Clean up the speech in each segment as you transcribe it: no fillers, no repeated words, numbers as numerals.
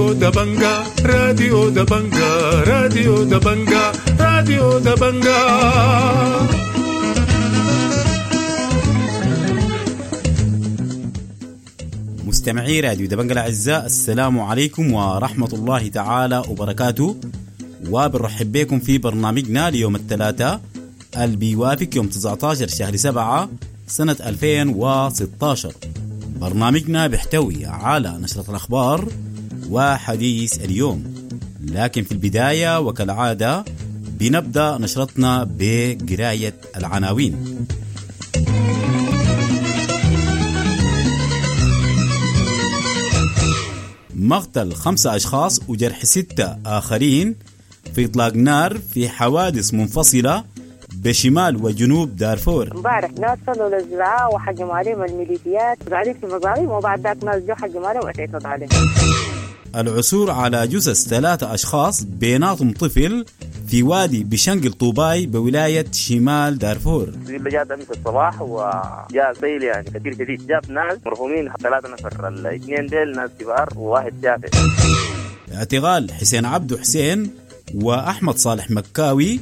راديو دبنجا، راديو دبنجا، راديو دبنجا، راديو دبنجا. مستمعي راديو دبنجا الأعزاء، السلام عليكم ورحمة الله تعالى وبركاته، وبنرحب بكم في برنامجنا ليوم الثلاثاء اللي بيوافق يوم 19 شهر 7 سنة 2016. برنامجنا بيحتوي على نشرة الأخبار وحديث اليوم، لكن في البداية وكالعادة بنبدأ نشرتنا بقراية العناوين. مقتل 5 أشخاص وجرح 6 آخرين في إطلاق نار في حوادث منفصلة بشمال وجنوب دارفور. امبارح ناس صلوا للزراعة وحجموا عليهم الميليشيات قاعدين في مظالم، وبعد ذاك ناس جو حجموا عليهم واعتدوا عليهم. العثور على جثث 3 أشخاص بيناتهم طفل في وادي بشنقل طوباي بولاية شمال دارفور. اللي جاء أمس الصباح وجاء سيل يعني كثير شديد، جاب ناس مرحومين 3 نفر، الاثنين ديل ناس كبار وواحد شافع. اعتقال حسين عبده حسين وأحمد صالح مكاوي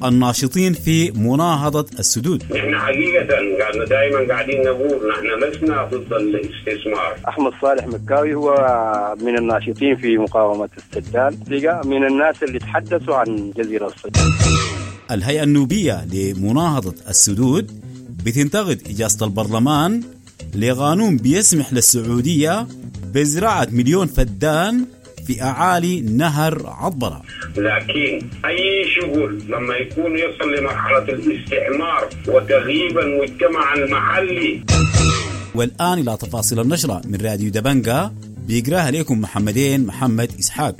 الناشطين في مناهضة السدود. نحن حقيقة قاعدنا دائما قاعدين نقول نحن لسنا ضد الاستثمار. أحمد صالح مكاوي هو من الناشطين في مقاومة السدان، من الناس اللي تحدثوا عن جزيرة السدان. الهيئة النوبية لمناهضة السدود بتنتقد إجازة البرلمان لقانون بيسمح للسعودية بزراعة 1,000,000 فدان في أعالي نهر عطبرة. لكن أي شغل لما يكون يصل لمرحلة الاستعمار وتغييب المجتمع المحلي. والآن إلى تفاصيل النشرة من راديو دبنجا بيقراها لكم محمدين محمد إسحاق.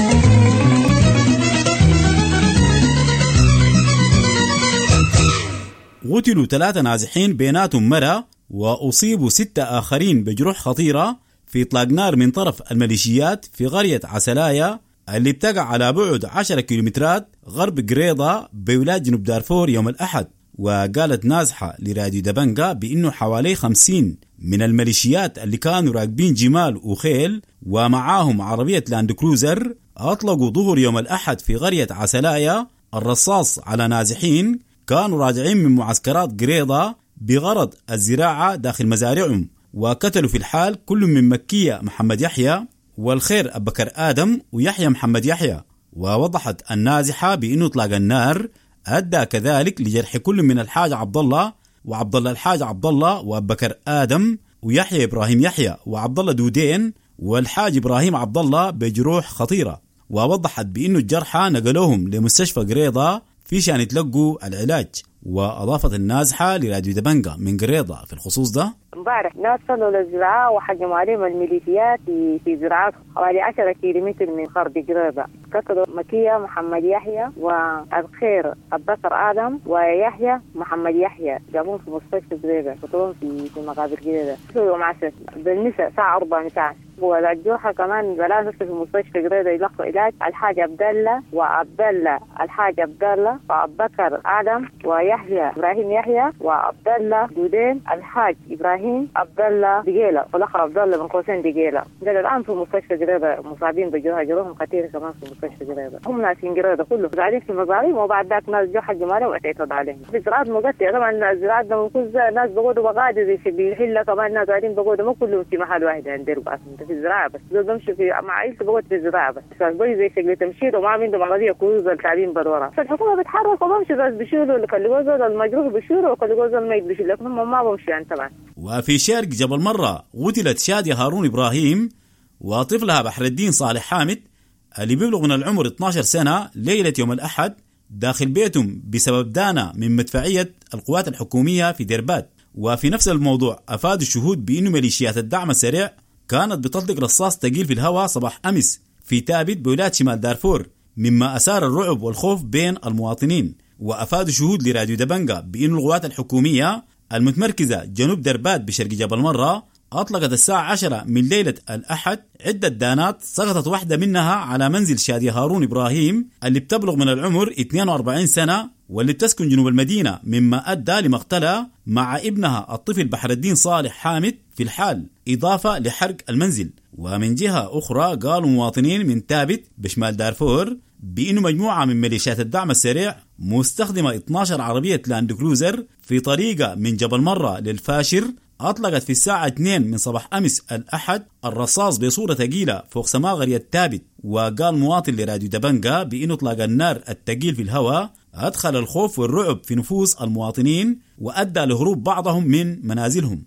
قتلوا 3 نازحين بيناتهم مرة وأصيبوا 6 آخرين بجروح خطيرة في إطلاق نار من طرف الميليشيات في قرية عسلايا اللي بتقع على بعد 10 كيلومترات غرب قريضة بولاية جنوب دارفور يوم الأحد. وقالت نازحة لراديو دبنجا بأنه حوالي 50 من الميليشيات اللي كانوا راكبين جمال وخيل ومعاهم عربية لاند كروزر أطلقوا ظهر يوم الأحد في قرية عسلايا الرصاص على نازحين كانوا راجعين من معسكرات قريضة بغرض الزراعة داخل مزارعهم، وقتلوا في الحال كل من مكية محمد يحيى والخير أبكر آدم ويحيى محمد يحيى. ووضحت النازحة بأنه إطلاق النار أدى كذلك لجرح كل من الحاج عبد الله وعبد الله الحاج عبد الله وأبكر آدم ويحيى إبراهيم يحيى وعبد الله دودين والحاج إبراهيم عبد الله بجروح خطيرة. ووضحت بأنه الجرحى نقلوهم لمستشفى قريضة في شان يتلقوا العلاج. وأضافت النازحة لراديو دبنجا من قريضة في الخصوص ده: امبارح ناس صلوا للزراعة وحجموا عليهم الميليشيات في زراعات حوالي 10 كيلومتر من غرب قريضة. قتلوا مكية محمد يحيى والخير أبكر آدم ويحيى محمد يحيى، جابوهم في مستشفى قريضة، قتلوهم في مقابر قريضة يوم 10 بالمساء الساعة 4 مساء. والجرحى كمان بلاش في مستشفى قريضة يلقوا علاج الحاج عبد الله وعبد الله الحاج عبد الله وأبكر آدم ويحيى إبراهيم يحيى وعبد الله دودين الحاج إبراهيم عبد الله دقيلة والآخر عبد الله بن قوسين دقيلة. قال الآن في مستشفى قريضة مصابين بجروح، جروحهم خطيرة كمان في مستشفى قريضة. هم ناسين قريضة كله قاعدين في مظالم، وبعد ذاك ناس جو حج مالهم واعتدوا عليهم. في زراعات مقطعة طبعا، الزراعات لما يكون ناس بقودوا بغادي زي في الحلة كمان ناس قاعدين بقودوا ما كلهم في محل واحد عند أصلا في الزراعة، بس دول بمشوا في مع عائلته بقعد في الزراعة بس بقول زي شكل تمشيل وما عندهم عربية كروزة التعليم بالورا. فالحكومة بتحرك وبمشي بس بيشيلوا اللي المجروح بيشيلوا وكل الميت بيشيلوا، لكن هم ما بمشي يعني طبعا. وفي شرق جبل مرة قتلت شادية هارون إبراهيم وطفلها بحر الدين صالح حامد اللي بيبلغ من العمر 12 سنة ليلة يوم الأحد داخل بيتهم بسبب دانة من مدفعية القوات الحكومية في دربات. وفي نفس الموضوع أفاد الشهود بأنه ميليشيات الدعم السريع كانت بتطلق رصاص ثقيل في الهواء صباح أمس في تابت بولاية شمال دارفور، مما أثار الرعب والخوف بين المواطنين. وأفاد شهود لراديو دبنجا بأن القوات الحكومية المتمركزة جنوب دربات بشرق جبل مرة أطلقت الساعة 10 من ليلة الأحد عدة دانات سقطت واحدة منها على منزل شادي هارون إبراهيم اللي بتبلغ من العمر 42 سنة واللي بتسكن جنوب المدينة، مما أدى لمقتلها مع ابنها الطفل بحر الدين صالح حامد في الحال، إضافة لحرق المنزل. ومن جهة أخرى قالوا مواطنين من تابت بشمال دارفور بأنه مجموعة من ميليشيات الدعم السريع مستخدمة 12 عربية لاند كروزر في طريقة من جبل مرة للفاشر أطلقت في الساعة 2 من صباح أمس الأحد الرصاص بصورة ثقيلة فوق سماء قرية تابت. وقال مواطن لراديو دبنجا بأنه إطلاق النار الثقيل في الهواء أدخل الخوف والرعب في نفوس المواطنين وأدى لهروب بعضهم من منازلهم.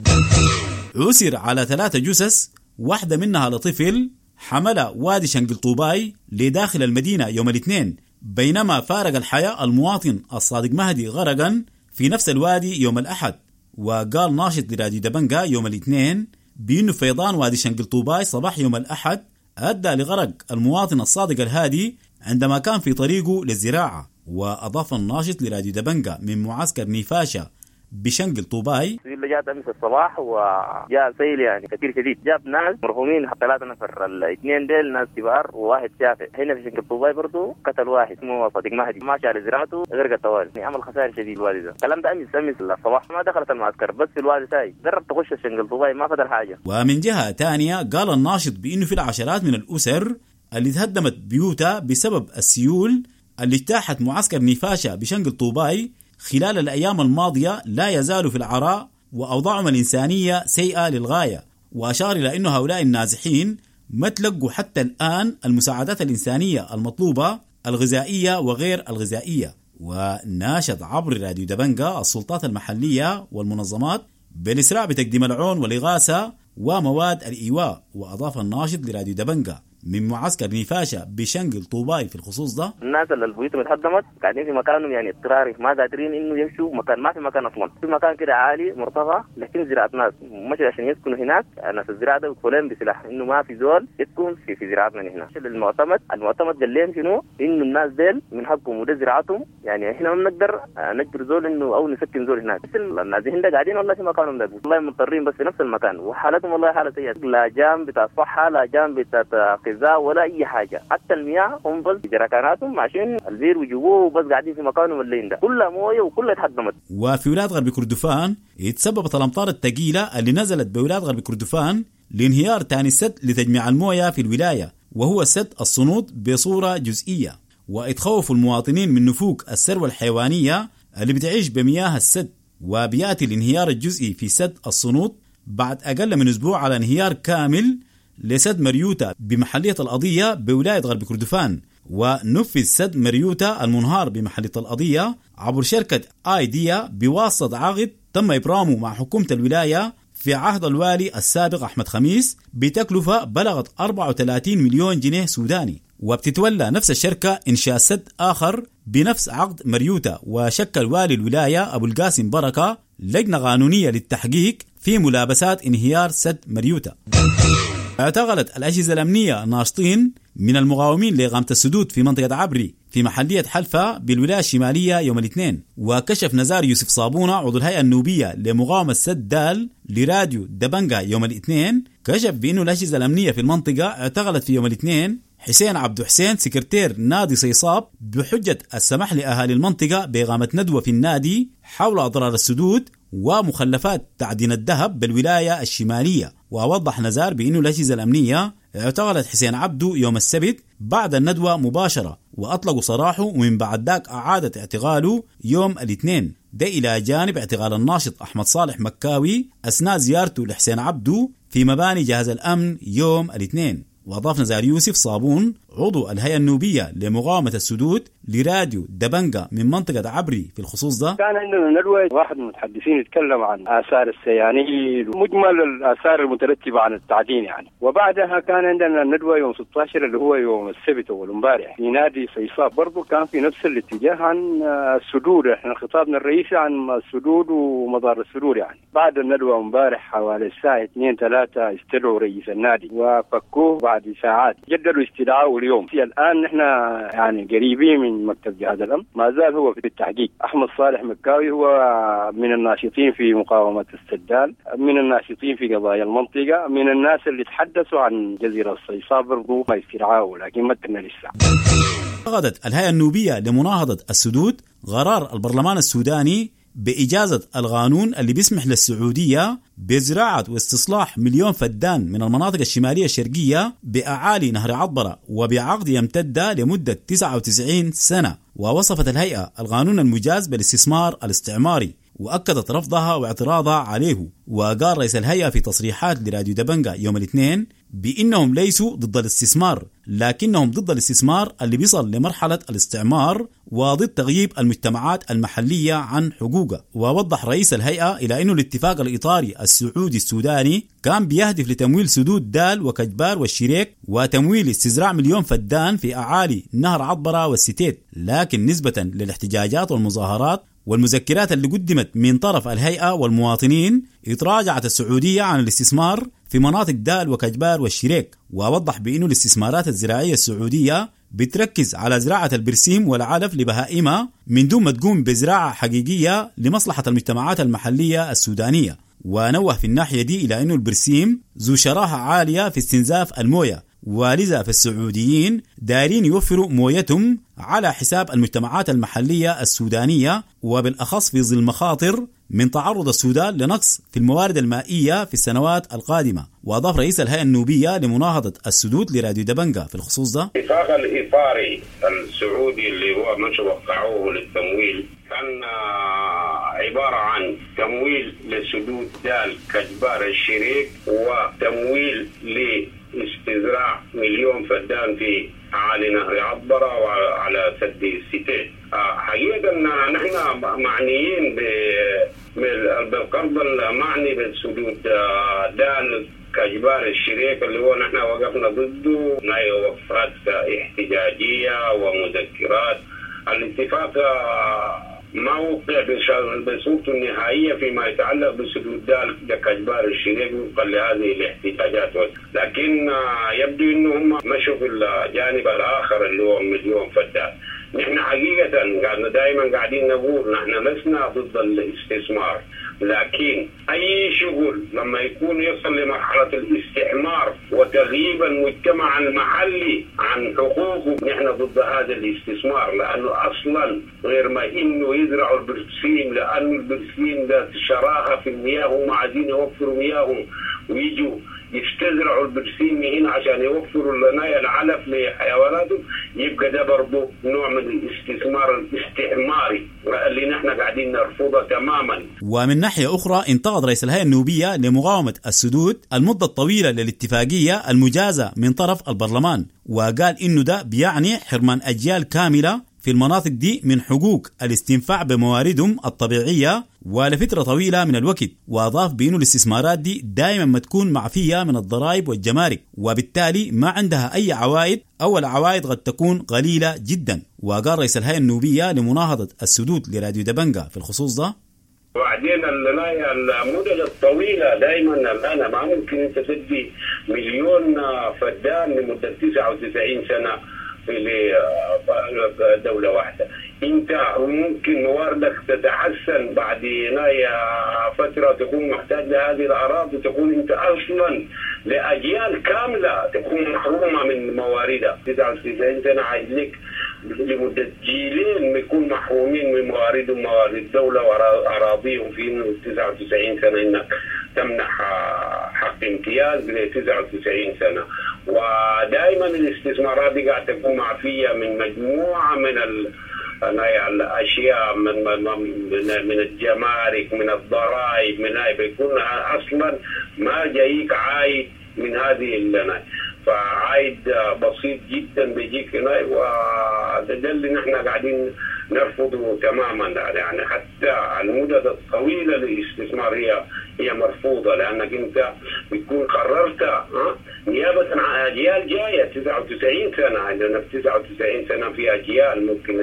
عثر على 3 جثث، واحدة منها لطفل حمل وادي شنقل طوباي لداخل المدينة يوم الاثنين، بينما فارق الحياة المواطن الصادق مهدي غرقا في نفس الوادي يوم الأحد. وقال ناشط لراديو دبنجا يوم الاثنين بأنه فيضان وادي شنقل طوباي صباح يوم الأحد أدى لغرق المواطن الصادق الهادي عندما كان في طريقه للزراعة. وأضاف الناشط لراديو دبنجا من معسكر نيفاشا بشنقل طوباي: اللي جات امس الصباح وجاء سيل يعني كثير شديد، جاب ناس مرحومين 3 نفر، الاثنين ديل ناس كبار وواحد شافع. هنا في شنقل طوباي برضه قتل واحد اسمه صديق مهدي، ماشي على زراعته غرق الطوالي، يعني عمل خسائر شديد الوادي ده. الكلام ده امس الصباح، ما دخلت المعسكر بس في الوادي ساي، جرب تخش شنقل طوباي ما فضل حاجه. ومن جهه ثانيه قال الناشط بانه في العشرات من الاسر اللي تهدمت بيوتها بسبب السيول اللي اجتاحت معسكر نيفاشا بشنقل طوباي خلال الأيام الماضية لا يزالوا في العراء وأوضاعهم الإنسانية سيئة للغاية. وأشار إلى أن هؤلاء النازحين ما تلقوا حتى الآن المساعدات الإنسانية المطلوبة الغذائية وغير الغذائية. وناشد عبر راديو دبنجا السلطات المحلية والمنظمات بالإسراع بتقديم العون والإغاثة ومواد الإيواء. وأضاف الناشط لراديو دبنجا من معسكر نيفاشا بشنقل طوباي في الخصوص ده: الناس اللي بيوتهم اتهدمت قاعدين في مكانهم يعني اضطراري، ما قادرين انه يمشوا مكان، ما في مكان اصلا، في مكان كده عالي مرتفع لكن زراعه ناس مشوا عشان يسكنوا هناك. ناس الزراعه ده بيدخلوا بسلاح انه ما في زول يسكن في زراعتنا هنا. المعتمد قال لهم شنو؟ انه الناس ديل من حقهم وده زراعتهم، يعني احنا ما بنقدر نجبر زول انه او نسكن زول هناك. النازحين ده قاعدين والله في مكانهم ده، والله مضطرين بس في نفس المكان، وحالتهم والله حاله سيئه، لا جام بتاع صحه لا جام بتاع غذاء ولا اي حاجه، حتى المياه هم بس جركاناتهم عشان البير وجوه وبس قاعدين في مكانهم اللين ده كلها مويه وكلها اتهدمت. وفي ولايه غرب كردفان اتسببت الامطار الثقيله اللي نزلت بولايه غرب كردفان لانهيار ثاني سد لتجميع المويه في الولايه، وهو سد الصنود بصوره جزئيه. واتخوفوا المواطنين من نفوق الثروه الحيوانيه اللي بتعيش بمياه السد. وبياتي الانهيار الجزئي في سد الصنود بعد اقل من اسبوع على انهيار كامل لسد مريوتا بمحلية القضية بولاية غرب كردفان. ونفذ سد مريوتا المنهار بمحلية القضية عبر شركة آيديا بواسطة عقد تم إبرامه مع حكومة الولاية في عهد الوالي السابق أحمد خميس بتكلفة بلغت 34 مليون جنيه سوداني. وبتتولى نفس الشركة إنشاء سد آخر بنفس عقد مريوتا. وشكل والي الولاية أبو القاسم بركة لجنة قانونية للتحقيق في ملابسات انهيار سد مريوتا. اعتقلت الأجهزة الأمنية ناشطين من المقاومين لإقامة السدود في منطقة عبري في محلية حلفة بالولاية الشمالية يوم الاثنين. وكشف نزار يوسف صابونة عضو الهيئة النوبية لمقاومة سد دال لراديو دبنجا يوم الاثنين، كشف بأنه الأجهزة الأمنية في المنطقة اعتقلت في يوم الاثنين حسين عبد حسين سكرتير نادي صيصاب بحجة السماح لأهالي المنطقة بإقامة ندوة في النادي حول أضرار السدود ومخلفات تعدين الذهب بالولاية الشمالية. وأوضح نزار بأنه الأجهزة الأمنية اعتقلت حسين عبدو يوم السبت بعد الندوة مباشرة وأطلقوا سراحه، ومن بعد ذاك أعادت اعتقاله يوم الاثنين. ده إلى جانب اعتقال الناشط أحمد صالح مكاوي أثناء زيارته لحسين عبدو في مباني جهاز الأمن يوم الاثنين. وأضاف نزار يوسف صابون عضو الهيئة النوبية لمقاومة السدود لراديو دبنجا من منطقة عبري في الخصوص ده: كان عندنا ندوة، واحد من المتحدثين يتكلم عن آثار السيانيد ومجمل الآثار المترتبة عن التعدين يعني. وبعدها كان عندنا ندوة يوم 16 اللي هو يوم السبت أول امبارح في نادي صيصاب، برضه كان في نفس الاتجاه عن السدود. احنا خطابنا الرئيسي عن السدود ومضار السدود يعني. بعد الندوة امبارح حوالي الساعة 2-3 استدعوا رئيس النادي وفكوه بعد ساعات، جددوا استدعاءه اليوم. الآن نحن يعني قريبين من مكتب جهاز الأمن، ما زال هو في التحقيق. أحمد صالح مكاوي هو من الناشطين في مقاومة السدال، من الناشطين في قضايا المنطقة، من الناس اللي تحدثوا عن جزيرة الصيصاب برضو ما استدعاءه، لكن ما تم لسه. غدت الهيئة النوبية لمناهضة السدود قرار البرلمان السوداني بإجازة القانون اللي بيسمح للسعودية بزراعة واستصلاح 1,000,000 فدان من المناطق الشمالية الشرقية بأعالي نهر عطبرة، وبعقد يمتد لمدة 99 سنة. ووصفت الهيئة القانون المجاز بالاستثمار الاستعماري، وأكدت رفضها واعتراضها عليه. وقال رئيس الهيئة في تصريحات لراديو دبنجا يوم الاثنين بأنهم ليسوا ضد الاستثمار، لكنهم ضد الاستثمار اللي بيصل لمرحلة الاستعمار وضد تغييب المجتمعات المحلية عن حقوقها. ووضح رئيس الهيئة إلى أنه الاتفاق الإطاري السعودي السوداني كان بيهدف لتمويل سدود دال وكجبار والشريك وتمويل استزراع 1,000,000 فدان في أعالي نهر عطبرة والستيت، لكن نسبة للاحتجاجات والمظاهرات والمذكرات اللي قدمت من طرف الهيئة والمواطنين اتراجعت السعودية عن الاستثمار في مناطق دال وكجبار والشريك. ووضح بأنه الاستثمارات الزراعية السعودية بتركز على زراعة البرسيم والعلف لبهائمها من دون ما تقوم بزراعة حقيقية لمصلحة المجتمعات المحلية السودانية. ونوه في الناحية دي إلى أنه البرسيم ذو شراهة عالية في استنزاف الموية، ولذا فالسعوديين دارين يوفروا مويتهم على حساب المجتمعات المحلية السودانية، وبالأخص في ظل مخاطر من تعرض السودان لنقص في الموارد المائية في السنوات القادمة. وأضاف رئيس الهيئة النوبية لمناهضة السدود لراديو دبنجا في الخصوص ده: الاتفاق الإطاري السعودي اللي هو مش وقعوه للتمويل كان عبارة عن تمويل لسدود دال كجبار الشريك وتمويل لاستزراع 1,000,000 فدان في أعالي نهر عطبرة وعلى سد الستيت. حقيقة نحن معنيين بالقرض المعني بالسدود دال كجبار الشريك اللي هو نحن وقفنا ضده، وقفات احتجاجية ومذكرات. الاتفاق ما وقع بصورته النهائية فيما يتعلق بسدود دال كجبار الشريك وفقا لهذه الاحتجاجات، لكن يبدو انه هم مشوا في الجانب الاخر اللي هو 1,000,000 فدان. نحن حقيقة دائما قاعدين نقول نحن لسنا ضد الاستثمار، لكن أي شغل لما يكون يصل لمرحلة الاستعمار وتغييب المجتمع المحلي عن حقوقه نحن ضد هذا الاستثمار، لأنه أصلا غير ما إنه يزرعوا البرسيم، لأنه البرسيم ده شراهة في المياه، هم عايزين يوفروا مياههم ويجوا يستزرعوا البرسيم هنا عشان يوفروا لنا العلف لحيواناتهم، يبقى ده برضه نوع من الاستثمار الاستعماري اللي نحن قاعدين نرفضه تماما. ومن ناحية أخرى انتقد رئيس الهيئة النوبية لمقاومة السدود المدة الطويلة للاتفاقية المجازة من طرف البرلمان، وقال إنه ده بيعني حرمان أجيال كاملة في المناطق دي من حقوق الاستنفاع بمواردهم الطبيعية ولفترة طويلة من الوقت. وأضاف بأنه الاستثمارات دي دائما ما تكون معفية من الضرائب والجمارك، وبالتالي ما عندها أي عوائد أو العوائد قد تكون قليلة جدا. وقال رئيس الهيئة النوبية لمناهضة السدود لراديو دبنجا في الخصوص ده: وبعدين المدن الطويلة دائما الآن ما ممكن أنت تدي 1,000,000 فدان لمدة 99 سنة في دولة واحدة. انت ممكن مواردك تتحسن بعد فترة تكون محتاج لهذه الأراضي، تكون انت أصلا لأجيال كاملة تكون محرومة من مواردها. 99 سنة عايز لك لمدة جيلين يكون محرومين من مواردهم، موارد الدولة وأراضيهم في 99 سنة، إنك تمنح حق امتياز ل 99 سنة. ودائما الاستثمارات دي قاعدة تكون معفية من مجموعة من الأشياء، من الجمارك، من الضرائب، من هاي بيكون أصلا ما جايك عايد من هذه اللنا، فعايد بسيط جدا بيجيك هنا، وده اللي نحن قاعدين نرفضه تماما. يعني حتى المدد الطويلة للاستثمار هي مرفوضة، لأنك أنت بتكون قررت نيابة عن أجيال جاية 99 سنة، عندنا في 99 سنة في أجيال ممكن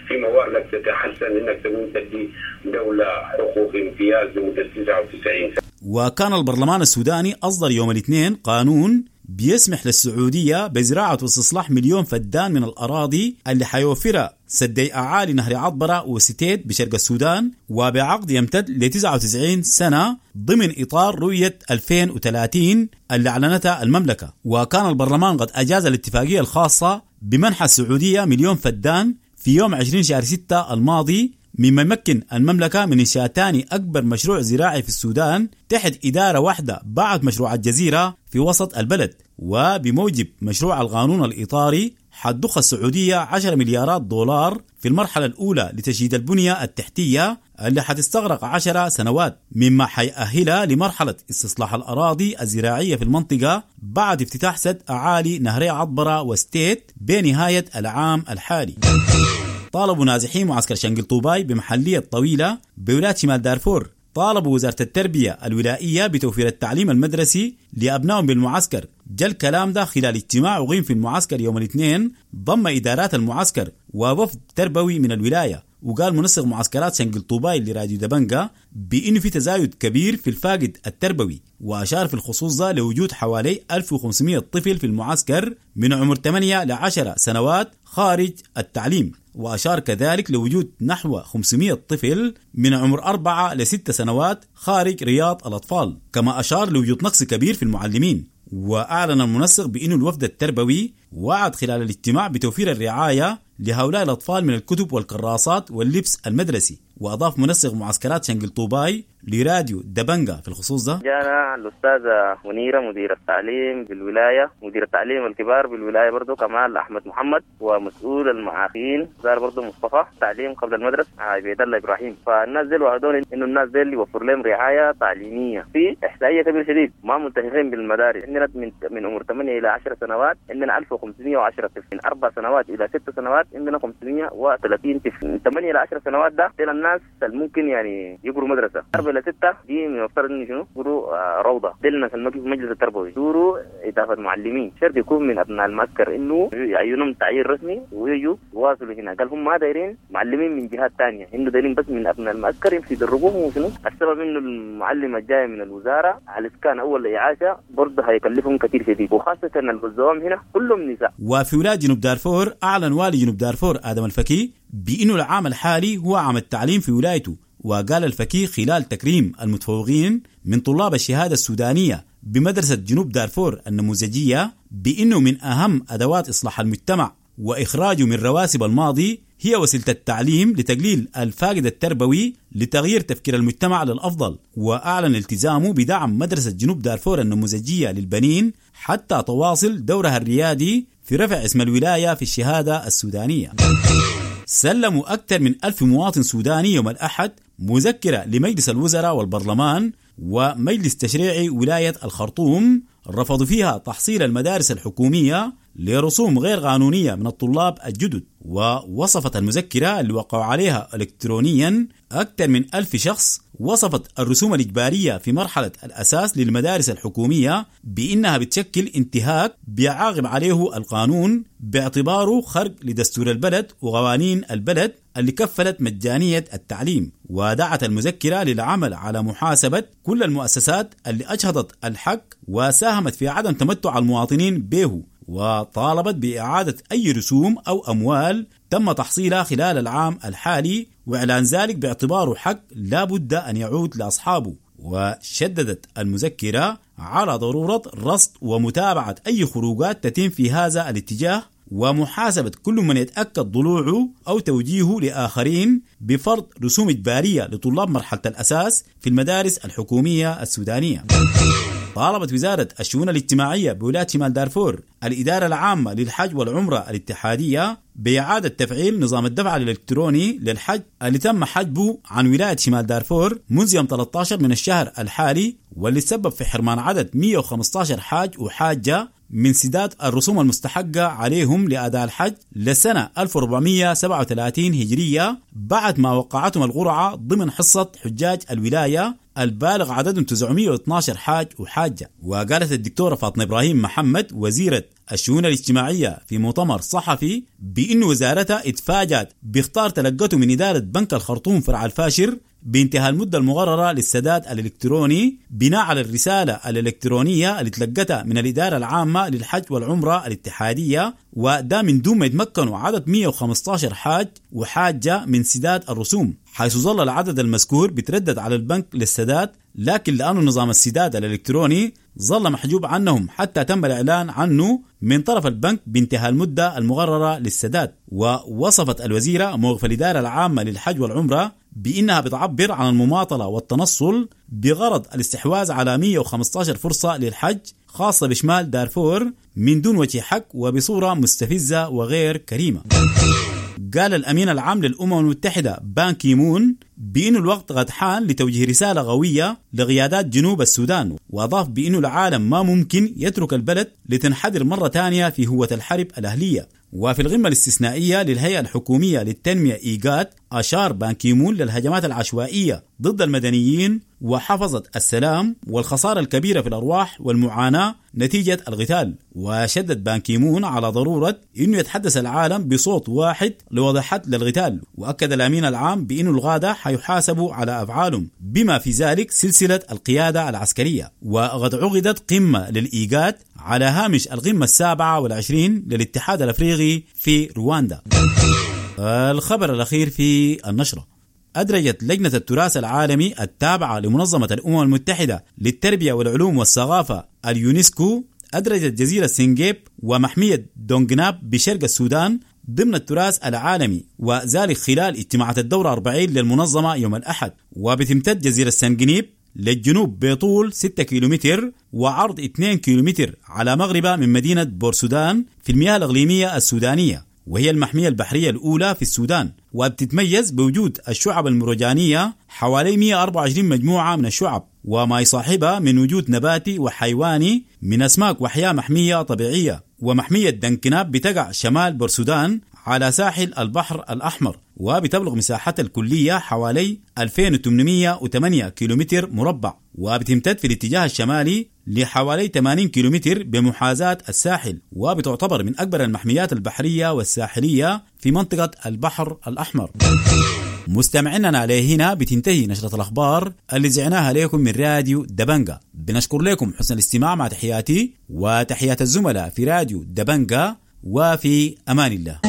في مواردك تتحسن إنك تكون تدي دولة حقوق امتياز لمدة 99 سنة. وكان البرلمان السوداني أصدر يوم الاثنين قانون بيسمح للسعودية بزراعة واستصلاح 1,000,000 فدان من الأراضي اللي حيوفرها سدي أعالي نهر عطبرة وستيت بشرق السودان، وبعقد يمتد ل 99 سنة ضمن إطار رؤية 2030 اللي أعلنتها المملكة. وكان البرلمان قد أجاز الاتفاقية الخاصة بمنح السعودية 1,000,000 فدان في يوم 20 شهر 6 الماضي، مما يمكن المملكة من إنشاء ثاني أكبر مشروع زراعي في السودان تحت إدارة واحدة بعد مشروع الجزيرة في وسط البلد. وبموجب مشروع القانون الإطاري حتضخ السعودية 10 مليارات دولار في المرحلة الأولى لتشييد البنية التحتية اللي حتستغرق 10 سنوات، مما حيأهلها لمرحلة استصلاح الأراضي الزراعية في المنطقة بعد افتتاح سد أعالي نهري عطبرة وستيت بنهاية العام الحالي. طالبوا نازحين معسكر شنقل طوباي بمحلية طويلة بولاية شمال دارفور. طالبوا وزارة التربية الولائية بتوفير التعليم المدرسي لأبنائهم بالمعسكر. جاء الكلام ده خلال اجتماع أقيم في المعسكر يوم الاثنين ضم إدارات المعسكر ووفد تربوي من الولاية. وقال منسق معسكرات شنقل طوباي لراديو دبنجا بأنه في تزايد كبير في الفاقد التربوي، وأشار في الخصوص ده لوجود حوالي 1500 طفل في المعسكر من عمر 8 ل 10 سنوات خارج التعليم، وأشار كذلك لوجود نحو 500 طفل من عمر 4 ل 6 سنوات خارج رياض الأطفال، كما أشار لوجود نقص كبير في المعلمين. وأعلن المنسق بأن الوفد التربوي وعد خلال الاجتماع بتوفير الرعاية لهؤلاء الأطفال من الكتب والكراسات واللبس المدرسي. وأضاف منسق معسكرات شنقل طوباي لراديو دبنجا في الخصوص ده: جانا الأستاذة منيرة مدير التعليم بالولاية، مدير التعليم الكبار بالولاية برضو كمال أحمد محمد، ومسؤول المعاقين زار برضو مصطفى، تعليم قبل المدرسة عبيد الله إبراهيم. فالناس ديل وعدوني إنه الناس ديل يوفر لهم رعاية تعليمية في إحصائية كبيرة شديد، ما ملتحقين بالمدارس. عندنا من عمر 8 إلى 10 سنوات عندنا 1510 طفل، من 4 سنوات إلى 6 سنوات عندنا 530 طفل، من 8 إلى 10 سنوات ده ديل الناس الممكن يعني يقروا مدرسة. 4 إلى 6 دي من المفترض إنه شنو يقروا روضة. ديل الناس المجلس التربوي يدوروا إضافة معلمين، شرط يكون من أبناء المعسكر إنه يعينهم تعيين رسمي ويجوا يواصلوا هنا. قال هم ما دايرين معلمين من جهات ثانية، إنه دايرين بس من أبناء المعسكر يمشي يدربوهم وشنو. السبب إنه المعلم الجاي من الوزارة على الإسكان أول إعاشة برضه هيكلفهم كثير شديد، وخاصة الزوام هنا كلهم نساء. وفي ولاية جنوب دارفور أعلن والي جنوب دارفور آدم الفكي بأنه العام الحالي هو عام التعليم في ولايته. وقال الفكي خلال تكريم المتفوقين من طلاب الشهادة السودانية بمدرسة جنوب دارفور النموذجية بأنه من أهم أدوات إصلاح المجتمع وإخراجه من رواسب الماضي هي وسيلة التعليم لتقليل الفاقد التربوي لتغيير تفكير المجتمع للأفضل. وأعلن التزامه بدعم مدرسة جنوب دارفور النموذجية للبنين حتى تواصل دورها الريادي في رفع اسم الولاية في الشهادة السودانية. سلموا أكثر من 1000 مواطن سوداني يوم الأحد مذكرة لمجلس الوزراء والبرلمان ومجلس تشريعي ولاية الخرطوم رفضوا فيها تحصيل المدارس الحكومية لرسوم غير قانونية من الطلاب الجدد. ووصفت المذكرة اللي وقعوا عليها إلكترونيا أكثر من 1000 شخص وصفت الرسوم الإجبارية في مرحلة الأساس للمدارس الحكومية بأنها بتشكل انتهاك بيعاقب عليه القانون باعتباره خرق لدستور البلد وقوانين البلد اللي كفلت مجانية التعليم. ودعت المذكرة للعمل على محاسبة كل المؤسسات اللي أجهضت الحق وساهمت في عدم تمتع المواطنين به، وطالبت بإعادة أي رسوم أو أموال تم تحصيلها خلال العام الحالي وإعلان ذلك باعتباره حق لا بد أن يعود لأصحابه. وشددت المذكرة على ضرورة رصد ومتابعة أي خروجات تتم في هذا الاتجاه ومحاسبة كل من يتأكد ضلوعه أو توجيهه لآخرين بفرض رسوم إجبارية لطلاب مرحلة الأساس في المدارس الحكومية السودانية. طالبت وزارة الشؤون الاجتماعية بولاية شمال دارفور الإدارة العامة للحج والعمرة الاتحادية بإعادة تفعيل نظام الدفع الإلكتروني للحج اللي تم حجبه عن ولاية شمال دارفور منذ يوم 13 من الشهر الحالي، واللي سبب في حرمان عدد 115 حاج وحاجة من سداد الرسوم المستحقة عليهم لأداء الحج لسنة 1437 هجرية بعد ما وقعتهم القرعة ضمن حصة حجاج الولاية البالغ عددهم 912 حاج وحاجة. وقالت الدكتورة فاطمة إبراهيم محمد وزيرة الشؤون الاجتماعية في مؤتمر صحفي بأن وزارتها اتفاجأت باختار تلقته من إدارة بنك الخرطوم فرع الفاشر بانتهاء المدة المقررة للسداد الإلكتروني بناء على الرسالة الإلكترونية اللي تلقتها من الإدارة العامة للحج والعمرة الاتحادية، وده من دون ما يتمكنوا عدد 115 حاج وحاجة من سداد الرسوم، حيث ظل العدد المذكور بتردد على البنك للسداد لكن لأن نظام السداد الإلكتروني ظل محجوب عنهم حتى تم الإعلان عنه من طرف البنك بانتهاء المدة المقررة للسداد. ووصفت الوزيرة موقف الإدارة العامة للحج والعمرة بأنها بتعبر عن المماطلة والتنصل بغرض الاستحواذ على 115 فرصة للحج خاصة بشمال دارفور من دون وجه حق وبصورة مستفزة وغير كريمة. قال الأمين العام للأمم المتحدة بان كيمون بأن الوقت قد حان لتوجيه رسالة قوية لقيادات جنوب السودان، وأضاف بأن العالم ما ممكن يترك البلد لتنحدر مرة ثانية في هوة الحرب الأهلية. وفي القمة الاستثنائية للهيئة الحكومية للتنمية إيجاد، أشار بان كيمون للهجمات العشوائية ضد المدنيين وحفظت السلام والخسارة الكبيرة في الأرواح والمعاناة نتيجة القتال. وشدد بان كيمون على ضرورة أنه يتحدث العالم بصوت واحد لوضع حد للقتال. وأكد الأمين العام بأن القادة حيحاسبوا على أفعالهم بما في ذلك سلسلة القيادة العسكرية. وقد عقدت قمة للإيجاد على هامش القمة 27 للاتحاد الأفريقي في رواندا. الخبر الأخير في النشرة: أدرجت لجنة التراث العالمي التابعة لمنظمة الأمم المتحدة للتربية والعلوم والثقافة اليونسكو، أدرجت جزيرة سنجيب ومحمية دونغناب بشرق السودان ضمن التراث العالمي، وذلك خلال اجتماعات الدورة 40 للمنظمة يوم الأحد. وبتمتد جزيرة سنجنيب للجنوب بطول 6 كيلومتر وعرض 2 كيلومتر على مغربة من مدينة بورسودان في المياه الإقليمية السودانية، وهي المحمية البحرية الأولى في السودان، وبتتميز بوجود الشعب المرجانية حوالي 124 مجموعة من الشعب، وما يصاحبها من وجود نباتي وحيواني من أسماك وحياة محمية طبيعية. ومحمية دنكناب بتقع شمال بورسودان على ساحل البحر الأحمر، وبتبلغ مساحتها الكلية حوالي 2808 كيلومتر مربع، وبتمتد في الاتجاه الشمالي لحوالي 80 كيلومتر بمحاذاة الساحل، وبتعتبر من أكبر المحميات البحرية والساحلية في منطقة البحر الأحمر. مستمعينا عليه هنا بتنتهي نشرة الأخبار اللي زعناها لكم من راديو دبنجا. بنشكر لكم حسن الاستماع، مع تحياتي وتحيات الزملاء في راديو دبنجا، وفي أمان الله.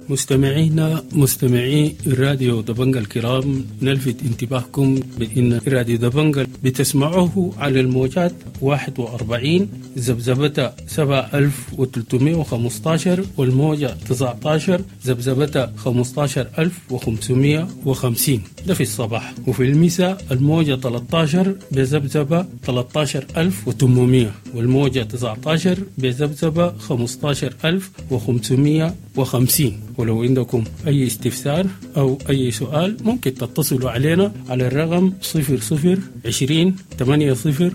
مستمعينا مستمعي راديو دبنجا الكرام، نلفت انتباهكم بأن راديو دبنجا بتسمعوه على الموجات 41 ذبذبة 7315 والموجة 19 ذبذبة 15550، ده في الصباح. وفي المساء الموجة 13 بذبذبة 13800 والموجة 19 بذبذبة 15550. ولو عندكم أي استفسار أو أي سؤال ممكن تتصلوا علينا على الرقم 00 20 80 0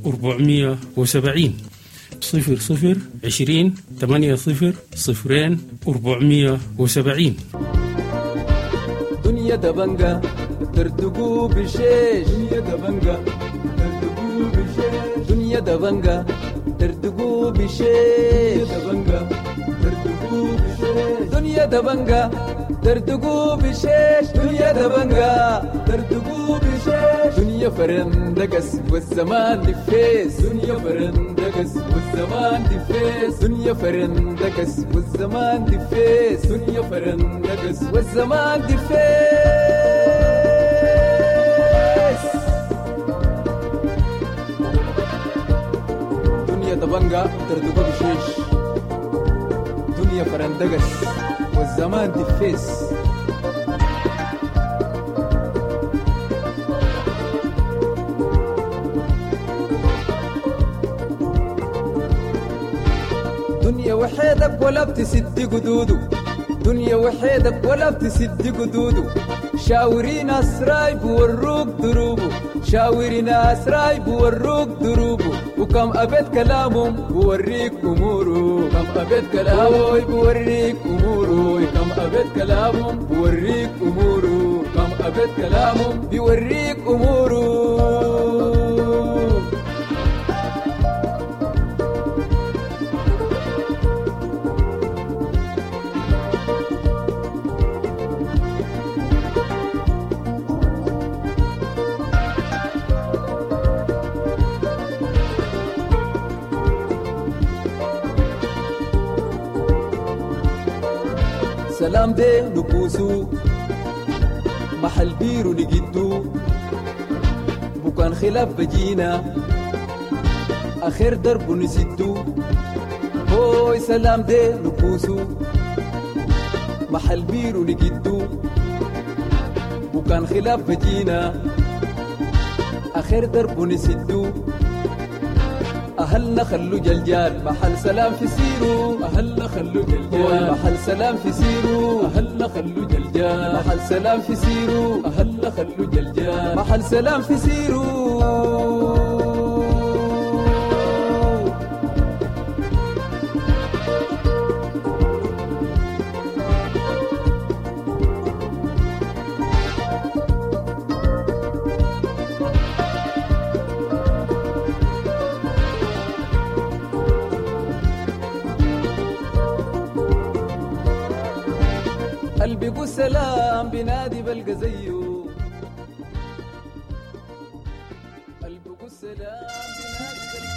470، 00 20 80 0 470. دنيا دبنجة ترتقو بشيش، دنيا دبنجة ترتقو بشيش، دنيا دبنجة ترتقو بشيش، دبنجة ترتقو بشيش، دنيا دبنجة ترتقو بشيش، دنيا دبنجة ترتقو بشيش، دنيا فرندقس والزمان دفيس، دنيا فرندقس والزمان دفيس، دنيا فرندقس والزمان دفيس، دنيا فرندقس والزمان دفيس. دنيا دبنجة ترتقو بشيش، دنيا فرندقس والزمان دفيس. دنيا وحيدك ولا بتسد قدوده، دنيا وحيدك ولا بتسد قدوده، شاوري ناس رايب وروك دروبه، شاوري ناس رايب وروك دروبه، وكم أبيت كلامهم بوريك أموره، كم أبيت كلامه بوريك أموره، كم أبيت كلامهم بوريك أموره، كم أبيت كلامهم بيوريك أموره. سلام دي نكوسو محل بيرو نجدو بكان خلاف بجينا آخر درب نسدو هوي سلام دي نكوسو محل بيرو نجدو وكان خلاف بجينا آخر درب نسدو أهلنا خلو جلجال محل سلام في سيرو أهلنا خلو جلجال محل سلام في سيرو أهلنا خلو جلجال محل سلام في سيرو أهلنا خلو جلجال محل سلام في سيرو. قلبي سلام بنادي بلقى زيه قلبي سلام بنادي بلقى.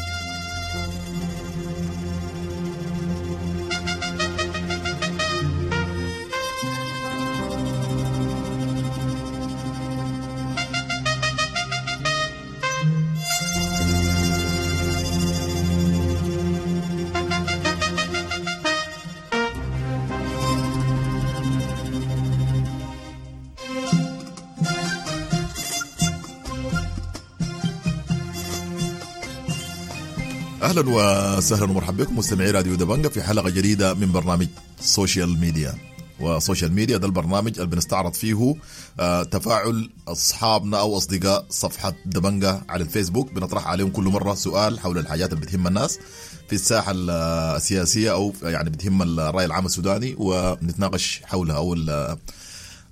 اهلا وسهلا ومرحبا بكم مستمعي راديو دبنجة في حلقة جديدة من برنامج social media. و social media ده البرنامج اللي بنستعرض فيه تفاعل اصحابنا او اصدقاء صفحة دبنجة على الفيسبوك. بنطرح عليهم كل مرة سؤال حول الحاجات اللي بتهم الناس في الساحة السياسية او يعني بتهم الراي العام السوداني، ونتناقش حولها او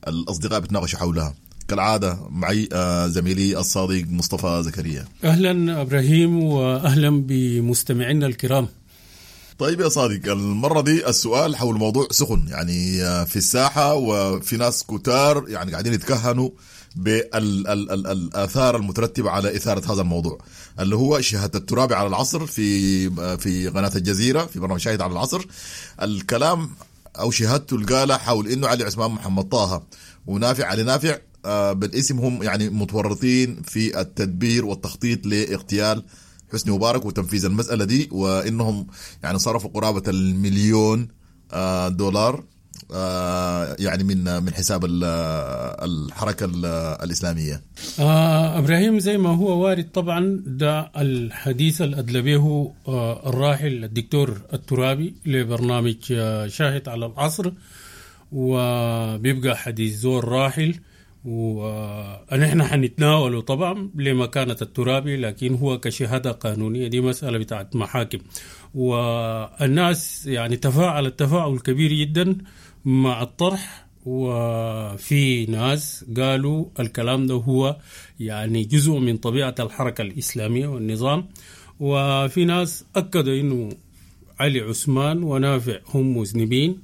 الاصدقاء بيتناقشوا حولها. كالعادة معي زميلي الصديق مصطفى زكريا. أهلا إبراهيم وأهلا بمستمعينا الكرام. طيب يا صادق، المرة دي السؤال حول موضوع سخن يعني في الساحة، وفي ناس كتار يعني قاعدين يتكهنوا بالآثار المترتبة على إثارة هذا الموضوع، اللي هو شهادة الترابي على العصر في قناة الجزيرة في برنامج شاهد على العصر. الكلام أو شهادته القالة حول إنه علي عثمان محمد طه ونافع علي نافع بالاسم هم يعني متورطين في التدبير والتخطيط لاغتيال حسني مبارك وتنفيذ المسألة دي، وإنهم يعني صرفوا قرابة $1,000,000 دولار يعني من حساب الحركة الإسلامية. إبراهيم، زي ما هو وارد طبعا ده الحديث الأدلبيه الراحل الدكتور الترابي لبرنامج شاهد على العصر، وبيبقى حديث زور راحل ونحن حنتناوله طبعا لمكانة الترابي، لكن هو كشهادة قانونية دي مسألة بتاعت محاكم. والناس يعني تفاعل التفاعل كبير جدا مع الطرح، وفي ناس قالوا الكلام ده هو يعني جزء من طبيعة الحركة الإسلامية والنظام، وفي ناس أكدوا إنه علي عثمان ونافع هم مذنبين،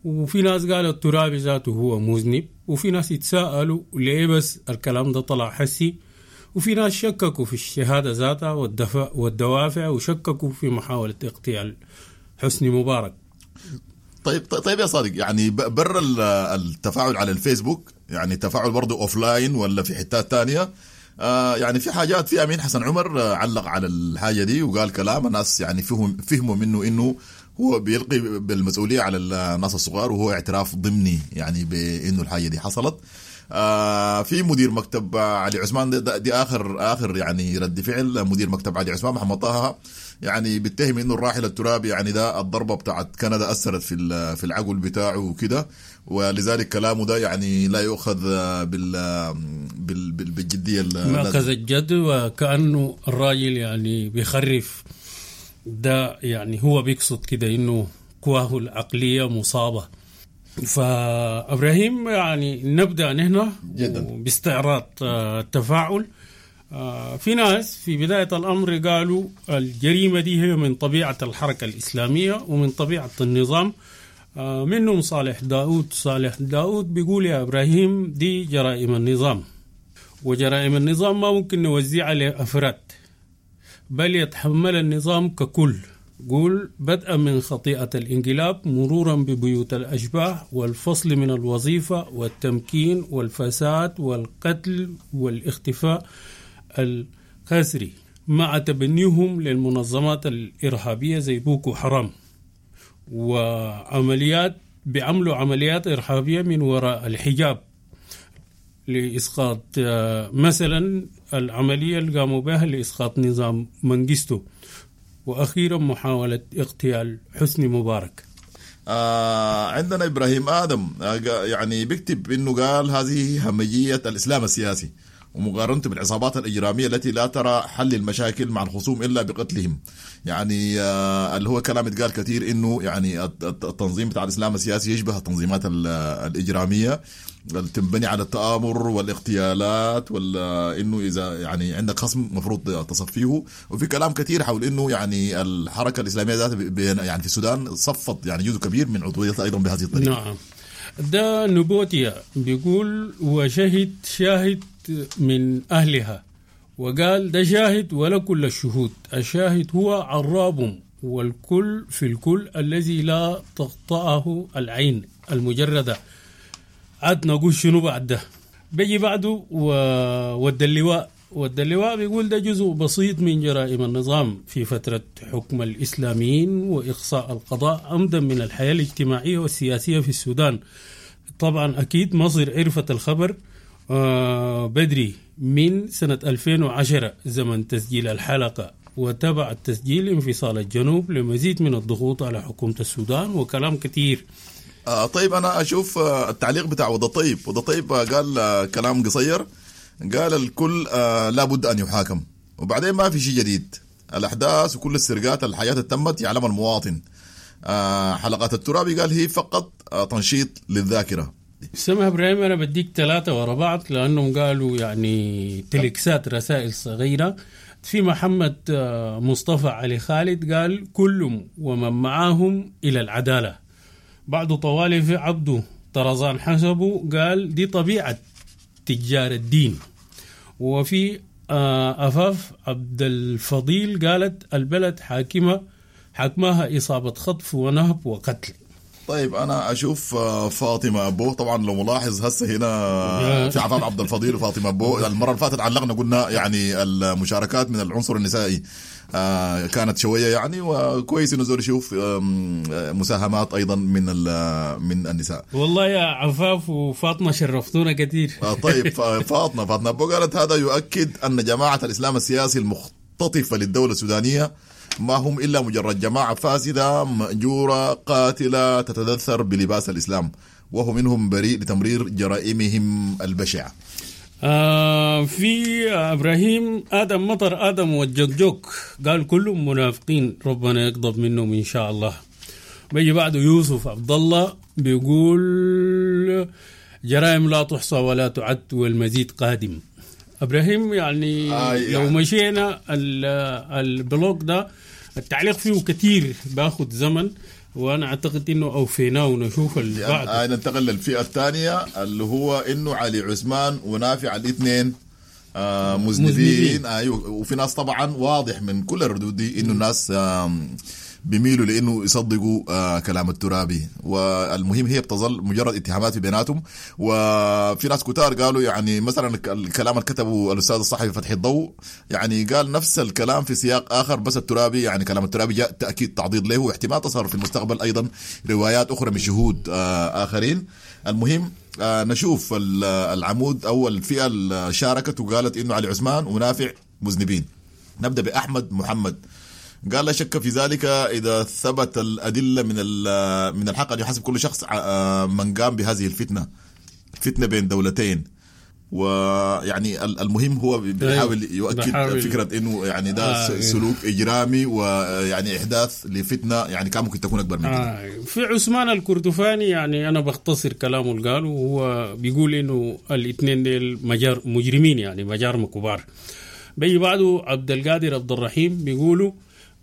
وفي ناس قالوا الترابي ذاته هو مذنب، وفي ناس يتساءلوا ليه بس الكلام ده طلع حسي، وفي ناس شككوا في الشهادة ذاتها والدوافع، وشككوا في محاولة اغتيال حسني مبارك. طيب يا صادق، يعني برا التفاعل على الفيسبوك، يعني تفاعل برضه offline ولا في حتات تانية، يعني في حاجات، في امين حسن عمر علق على الحاجة دي وقال كلام الناس يعني فهموا منه انه هو بيلقي بالمسؤولية على الناس الصغار، وهو اعتراف ضمني يعني بانه الحاجة دي حصلت. في مدير مكتب علي عثمان، دي اخر يعني رد فعل مدير مكتب علي عثمان محمد طه، يعني بيتهم انه الراحل الترابي يعني ده الضربة بتاعت كندا اثرت في العقل بتاعه وكده، ولذلك كلامه ده يعني لا يؤخذ بالجديه، مأخذ الجد، وكانه الراجل يعني بيخرف ده، يعني هو بيقصد كده انه قواه العقلية مصابه. فابراهيم يعني نبدا نحن باستعراض التفاعل. في ناس في بداية الامر قالوا الجريمة دي هي من طبيعة الحركة الاسلامية ومن طبيعة النظام، منهم صالح داود. صالح داود بيقول يا ابراهيم دي جرائم النظام، وجرائم النظام ما ممكن نوزعها لافراد، بل يتحمل النظام ككل. قول بدءا من خطيئة الانقلاب مرورا ببيوت الأشباح والفصل من الوظيفة والتمكين والفساد والقتل والاختفاء القسري مع تبنيهم للمنظمات الإرهابية زي بوكو حرام، وعمليات بيعملوا عمليات إرهابية من وراء الحجاب لإسقاط مثلا العملية اللي قاموا بها لإسقاط نظام منجستو، وأخيرا محاولة اغتيال حسني مبارك. عندنا إبراهيم آدم يعني بيكتب إنه قال هذه همجية الإسلام السياسي ومقارنته بالعصابات الإجرامية التي لا ترى حل المشاكل مع الخصوم إلا بقتلهم. يعني اللي هو كلام اتقال كثير إنه يعني التنظيم بتاع الإسلام السياسي يشبه التنظيمات الإجرامية اللي تنبني على التآمر والاغتيالات، ولا إنه إذا يعني عندك خصم مفروض تصفيه. وفي كلام كثير حول إنه يعني الحركة الإسلامية ذاتها يعني في السودان صفت يعني جزء كبير من عضويتها أيضا بهذه الطريقة. نعم، ده نبوتيا بيقول وشهد شاهد من أهلها، وقال ده شاهد ولا كل الشهود، الشاهد هو عراب والكل في الكل الذي لا تقطعه العين المجردة. عاد نقول شنو بعد ده؟ بيجي بعده ود اللواء، ود اللواء بيقول ده جزء بسيط من جرائم النظام في فترة حكم الإسلاميين وإقصاء القضاء عمدا من الحياة الاجتماعية والسياسية في السودان. طبعا أكيد مصر عرفت الخبر بدري من سنة 2010 زمن تسجيل الحلقة، وتبع التسجيل انفصال الجنوب لمزيد من الضغوط على حكومة السودان وكلام كثير. طيب أنا أشوف التعليق بتاع وضع طيب. وضع طيب قال كلام قصير، قال الكل لابد أن يحاكم، وبعدين ما في شيء جديد، الأحداث وكل السرقات الحياة تمت يعلم المواطن. حلقات الترابي قال هي فقط تنشيط للذاكرة. سمح إبراهيم أنا بديك 3 ورا بعض لأنهم قالوا يعني تلكسات رسائل صغيرة. في محمد مصطفى علي خالد قال كل ومن معاهم إلى العدالة. بعد طوالي في عبده طرزان حسبه قال دي طبيعة تجار الدين. وفي أفاف عبد الفضيل قالت البلد حاكمها إصابة خطف ونهب وقتل. طيب أنا أشوف فاطمة أبو، طبعا لو ملاحظ هسه هنا في عفاف عبد الفضيل وفاطمة أبو. المرة اللي فاتت علقنا قلنا يعني المشاركات من العنصر النسائي كانت شوية يعني، وكويس إنه زول يشوف مساهمات أيضا من النساء. والله يا عفاف وفاطمة شرفتونا كثير. طيب فاطمة أبو قالت هذا يؤكد أن جماعة الإسلام السياسي المختطفة للدولة السودانية ما هم إلا مجرد جماعة فاسدة مأجورة قاتلة تتدثر بلباس الإسلام، وهو منهم بريء لتمرير جرائمهم البشعة. في إبراهيم آدم مطر آدم والجوك قال كلهم منافقين ربنا يغضب منهم إن شاء الله. بيجي بعده يوسف عبد الله بيقول جرائم لا تحصى ولا تعد والمزيد قادم. إبراهيم يعني لو مشينا ال blog ده التعليق فيه كتير باخد زمن، وأنا أعتقد إنه أوفيناه ونشوف اللي بعده. ننتقل للفئة الثانية اللي هو إنه علي عثمان ونافع الاثنين مذنبين. أيوة، وفي ناس طبعا واضح من كل الردود دي إنه الناس بيميلوا لأنه يصدقوا كلام الترابي، والمهم هي بتظل مجرد اتهامات في بيناتهم. وفي ناس كتار قالوا يعني مثلا الكلام اللي كتبه الأستاذ الصحفي فتحي الضوء، يعني قال نفس الكلام في سياق آخر، بس الترابي يعني كلام الترابي جاء تأكيد تعضيد له، واحتمال تظهر في المستقبل أيضا روايات أخرى من شهود آخرين. المهم نشوف العمود أو الفئة اللي شاركت وقالت إنه علي عثمان ونافع مذنبين. نبدأ بأحمد محمد، قال لا شك في ذلك إذا ثبت الأدلة من الحق أن يحاسب كل شخص من قام بهذه الفتنة، فتنة بين دولتين. ويعني المهم هو بيحاول يؤكد فكرة إنه يعني ده سلوك إجرامي ويعني إحداث لفتنة يعني كان ممكن تكون أكبر من كده. في عثمان الكردفاني يعني أنا بختصر كلامه اللي قاله، وهو بيقول إنه الاثنين ديل مجرمين يعني مجارم كبار. بيجي بعده عبد القادر عبد الرحيم بيقولوا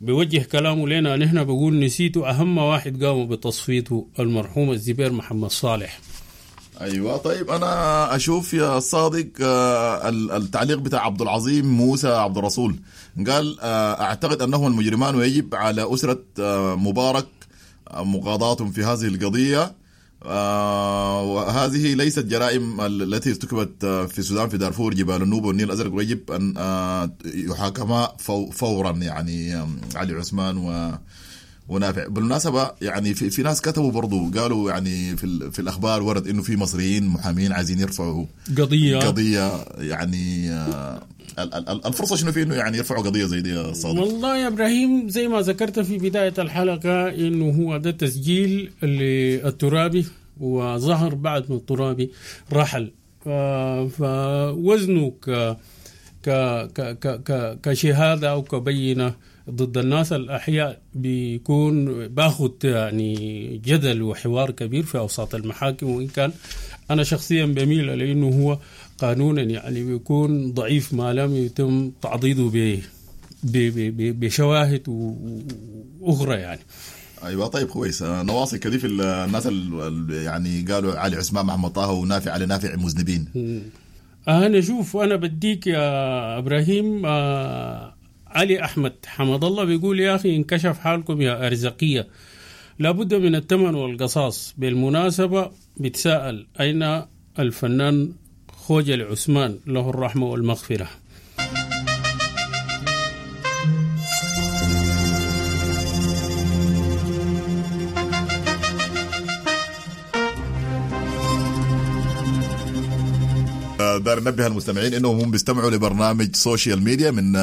بيوجه كلامه لنا نحن، بقول نسيته أهم واحد قاموا بتصفيته المرحوم الزبير محمد صالح. ايوه طيب انا اشوف يا صادق التعليق بتاع عبد العظيم موسى عبد الرسول قال اعتقد انهم المجرمان ويجب على اسره مبارك مقاضاتهم في هذه القضية، وهذه ليست جرائم التي ارتكبت في السودان في دارفور جبال النوبة والنيل الازرق، ويجب ان يحاكما فورا يعني علي عثمان ونافع. بالمناسبة يعني في ناس كتبوا برضو قالوا يعني في الأخبار ورد إنه في مصريين محامين عايزين يرفعوا قضية يعني الفرصة شنو في إنه يعني يرفعوا قضية زي دي يا صادق؟ والله يا إبراهيم زي ما ذكرت في بداية الحلقة إنه هو ده تسجيل للترابي، وظهر بعد ما الترابي رحل، فوزنه ك ك ك ك كشهادة أو كبينة ضد الناس الأحياء بيكون باخد يعني جدل وحوار كبير في أوساط المحاكم، وإن كان أنا شخصيا بميل لأنه هو قانونا يعني بيكون ضعيف ما لم يتم تعضيده بشواهد أخرى يعني. ايوه طيب كويس. نواصل كده في الناس يعني قالوا علي عثمان محمد طه ونافع علي نافع مذنبين. أنا شوف أنا بديك يا إبراهيم علي أحمد حمد الله بيقول يا أخي انكشف حالكم يا أرزقية، لابد من الثمن والقصاص. بالمناسبة بتساءل أين الفنان خوجل عثمان له الرحمة والمغفرة. دار نبه المستمعين انهم هم بيستمعوا لبرنامج social media من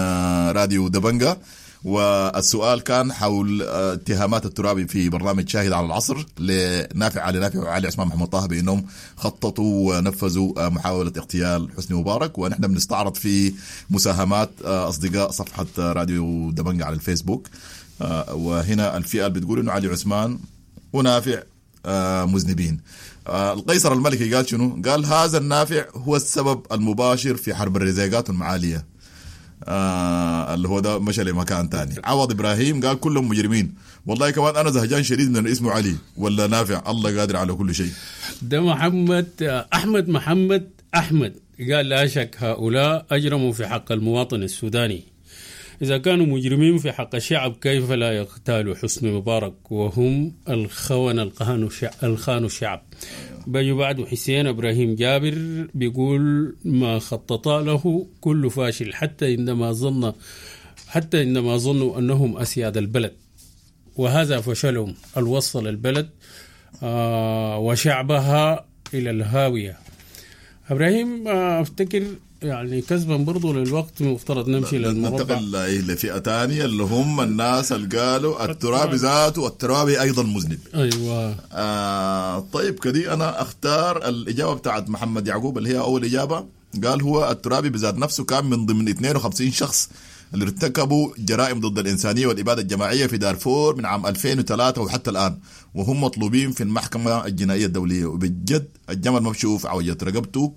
راديو دبنجا، والسؤال كان حول اتهامات الترابي في برنامج شاهد على العصر لنافع علي نافع وعلي عثمان محمد طه بانهم خططوا ونفذوا محاولة اغتيال حسني مبارك، ونحن بنستعرض في مساهمات اصدقاء صفحة راديو دبنجا على الفيسبوك. وهنا الفئة اللي بتقول انه علي عثمان ونافع مذنبين. القيصر الملكي قال شنو؟ قال هذا النافع هو السبب المباشر في حرب الرزيقات المعالية، اللي هو ده مشى لمكان تاني. عوض إبراهيم قال كلهم مجرمين، والله كمان أنا زهجان شديد من اسمه علي ولا نافع، الله قادر على كل شيء. ده محمد أحمد محمد أحمد قال لا شك هؤلاء أجرموا في حق المواطن السوداني، إذا كانوا مجرمين في حق الشعب كيف لا يغتالوا حسني مبارك وهم الخونة الخانوا الشعب. بيجي بعده حسين إبراهيم جابر بيقول ما خططا له كل فاشل حتى عندما ظنوا أنهم أسياد البلد، وهذا فشلهم الوصل البلد وشعبها إلى الهاوية. إبراهيم أفتكر يعني كسبا برضو للوقت مفترض نمشي للمربع، ننتقل لفئة تانية اللي هم الناس اللي قالوا الترابي ذاته والترابي أيضا مذنب. أيوة. طيب كدي أنا أختار الإجابة بتاعت محمد يعقوب اللي هي أول إجابة، قال هو الترابي بذات نفسه كان من ضمن 52 شخص اللي ارتكبوا جرائم ضد الإنسانية والإبادة الجماعية في دارفور من عام 2003 وحتى الآن، وهم مطلوبين في المحكمة الجنائية الدولية. وبجد الجمل ما بشوف عوجة رقبته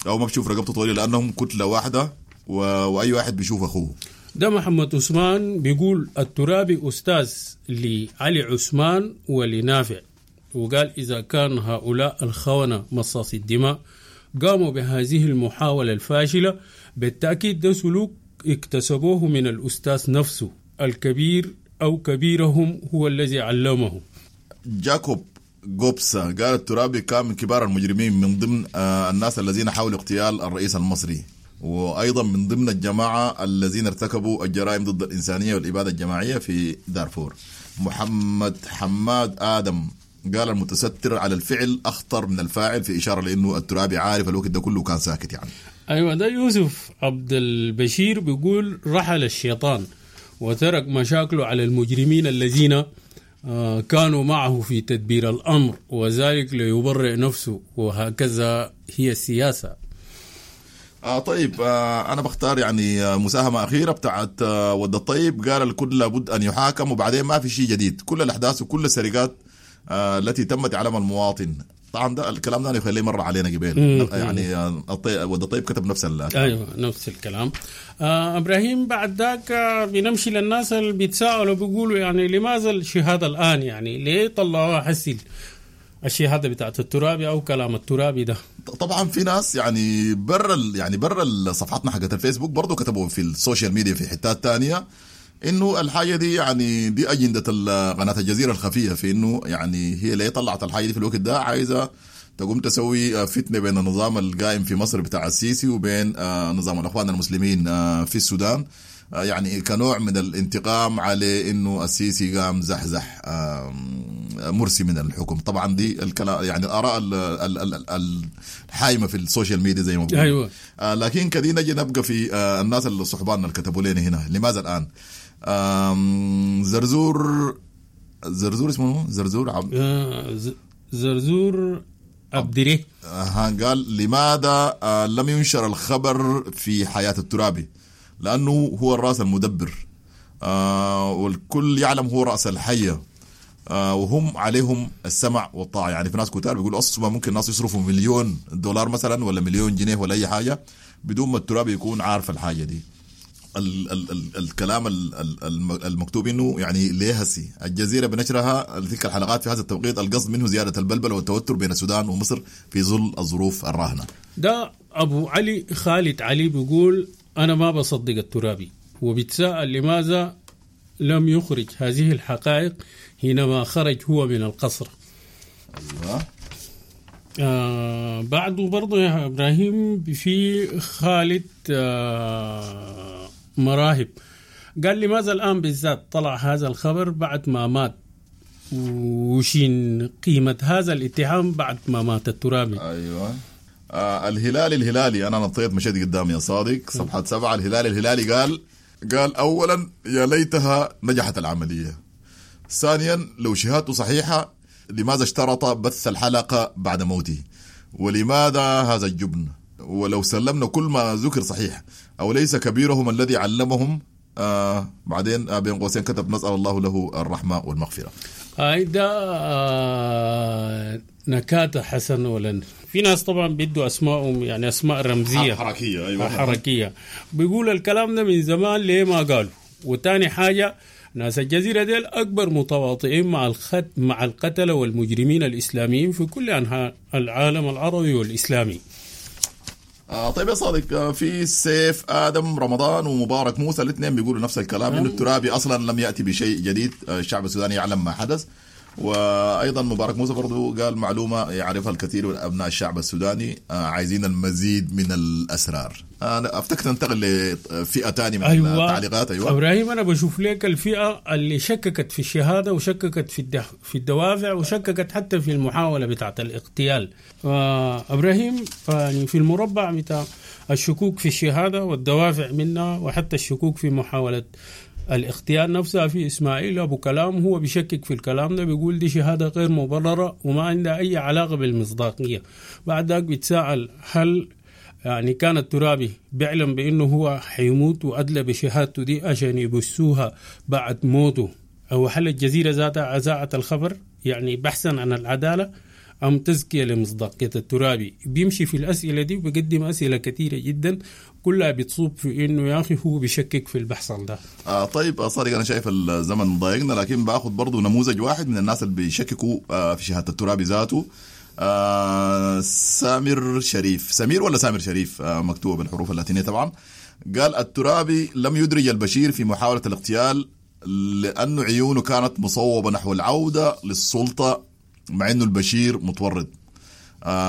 أو ما بشوف رقبته طويلة لأنهم كتلة واحدة وأي واحد بيشوف أخوه. ده محمد عثمان بيقول الترابي أستاذ لعلي عثمان ولنافع، وقال إذا كان هؤلاء الخونة مصاصي الدماء قاموا بهذه المحاولة الفاشلة بالتأكيد ده سلوك اكتسبوه من الأستاذ نفسه الكبير أو كبيرهم هو الذي علمه. جاكوب جوبسا قال الترابي كان من كبار المجرمين، من ضمن الناس الذين حاولوا اغتيال الرئيس المصري، وأيضا من ضمن الجماعة الذين ارتكبوا الجرائم ضد الإنسانية والإبادة الجماعية في دارفور. محمد حماد آدم قال المتستر على الفعل أخطر من الفاعل، في إشارة لأنه الترابي عارف الوقت ده كله كان ساكت يعني. أيوة. ده يوسف عبد البشير بيقول رحل الشيطان وترك مشاكله على المجرمين الذين كانوا معه في تدبير الأمر، وذلك ليبرئ نفسه، وهكذا هي السياسة. طيب أنا بختار يعني مساهمة أخيرة بتاعت ود الطيب، قال الكل لابد أن يحاكم، وبعدين ما في شيء جديد، كل الأحداث وكل السرقات التي تمت على المواطن. طبعا ده الكلام ده انا يخليه مرة علينا قبل يعني ود الطيب كتب نفس الكلام. ايوه نفس الكلام. ابراهيم بعد ذاك بنمشي للناس اللي بيتساءلوا بيقولوا يعني لماذا الشهادة الان، يعني ليه طلعوها حسي الشهادة بتاعت الترابي أو كلام الترابي ده. طبعا في ناس يعني برا يعني برا صفحتنا حقت الفيسبوك برضو كتبوا في ال social media في حتات تانية انه الحاجة دي يعني دي اجندة قناة الجزيرة الخفية، في انه يعني هي ليه طلعت الحاجة دي في الوقت ده، عايزه تقوم تسوي فتنة بين النظام القائم في مصر بتاع السيسي وبين نظام الاخوان المسلمين في السودان، يعني كنوع من الانتقام على انه السيسي قام زحزح مرسي من الحكم. طبعا دي الكلام يعني الاراء الحايمه في ال social media زي ما بقول. ايوه. لكن كدي نجي نبقى في الناس اللي صحباننا اللي كتبوا لنا هنا لماذا الان. زرزور اسمه زرزور زرزور عبدري قال لماذا لم ينشر الخبر في حياة الترابي؟ لأنه هو الرأس المدبر، والكل يعلم هو رأس الحية، وهم عليهم السمع والطاعة. يعني في ناس كتار بيقولوا أصلا ممكن الناس يصرفوا $1,000,000 مثلا ولا 1,000,000 جنيه ولا أي حاجة بدون ما الترابي يكون عارف الحاجة دي. ال ال ال الكلام المكتوب انه يعني ليه هسي الجزيرة بنشرها تلك الحلقات في هذا التوقيت القصد منه زيادة البلبلة والتوتر بين السودان ومصر في ظل الظروف الراهنة. ده ابو علي خالد علي بيقول انا ما بصدق الترابي، وبيتساءل لماذا لم يخرج هذه الحقائق حينما خرج هو من القصر. ايوه. بعده برضه يا ابراهيم في خالد مراهب قال لماذا الآن بالذات طلع هذا الخبر بعد ما مات، وشين قيمة هذا الاتهام بعد ما مات الترابي. أيوة. الهلالي الهلالي أنا نطيت مشيت قدام يا صادق صفحة 7. الهلالي الهلالي قال أولا يا ليتها نجحت العملية، ثانيا لو شهادته صحيحة لماذا اشترط بث الحلقة بعد موته، ولماذا هذا الجبن، ولو سلمنا كل ما ذكر صحيح أو ليس كبيرهم الذي علمهم. بعدين بين قوسين كتب نسأل الله له الرحمة والمغفرة. هيدا نكاتة حسن ولن. في ناس طبعا بيدوا أسمائهم يعني أسماء رمزية حركية. أيوة. حركية. بيقول الكلام ده من زمان ليه ما قالوا. وتاني حاجة ناس الجزيرة ديل أكبر متواطئين مع القتلة والمجرمين الإسلاميين في كل أنحاء العالم العربي والإسلامي. طيب يا صادق، في سيف آدم رمضان ومبارك موسى الاثنين بيقولوا نفس الكلام، إنه الترابي أصلا لم يأتي بشيء جديد، الشعب السوداني يعلم ما حدث. وأيضا مبارك موسى برضو قال معلومة يعرفها الكثير من أبناء الشعب السوداني، عايزين المزيد من الأسرار. أنا أفتكر ننتقل لفئة تانية من أيوة. التعليقات. أيوة إبراهيم، أنا بشوف لك الفئة اللي شككت في الشهادة وشككت في الدوافع وشككت حتى في المحاولة بتاعة الاغتيال. إبراهيم يعني في المربع بتاع الشكوك في الشهادة والدوافع منها وحتى الشكوك في محاولة الاغتيال نفسها، في إسماعيل أبو كلام هو بيشكك في الكلام ده، بيقول دي شهادة غير مبررة وما عندها أي علاقة بالمصداقية. بعد ذاك بيتساءل هل يعني كان الترابي بيعلم بأنه هو حيموت وأدلى بشهادته دي عشان يبثوها بعد موته، أو هل الجزيرة ذاتها أذاعت الخبر يعني بحثا عن العدالة أم تزكية لمصداقية الترابي؟ بيمشي في الأسئلة دي وبيقدم أسئلة كثيرة جدا كلها بتصوب في إنه يا أخي هو بيشكك في البحث ده. طيب صادق، أنا شايف الزمن ضايقنا، لكن بأخذ برضو نموذج واحد من الناس اللي بيشككوا في شهادة الترابي ذاته. سامر شريف، سمير ولا سامر شريف، مكتوبة بالحروف اللاتينية طبعا، قال الترابي لم يدرج البشير في محاولة الاغتيال لأنه عيونه كانت مصوبة نحو العودة للسلطة مع انه البشير متورط.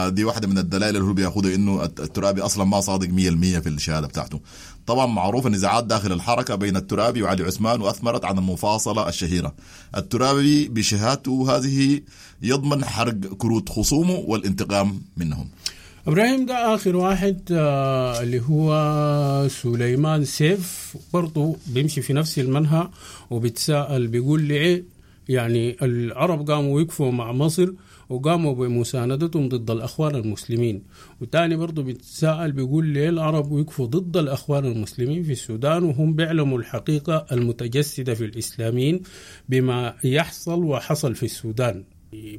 دي واحدة من الدلائل اللي هو بياخدها انه الترابي اصلا ما صادق 100% في الشهادة بتاعته. طبعا معروف النزاعات داخل الحركة بين الترابي وعلي عثمان واثمرت عن المفاصله الشهيرة. الترابي بشهادته هذه يضمن حرق كروت خصومه والانتقام منهم. ابراهيم ده اخر واحد اللي هو سليمان سيف، برضه بيمشي في نفس المنهى وبيتساءل بيقول لي ايه يعني العرب قاموا وقفوا مع مصر وقاموا بمساندتهم ضد الأخوان المسلمين. وتاني برضو بيتساءل بيقول ليه العرب وقفوا ضد الأخوان المسلمين في السودان وهم بيعلموا الحقيقة المتجسدة في الإسلاميين بما يحصل وحصل في السودان.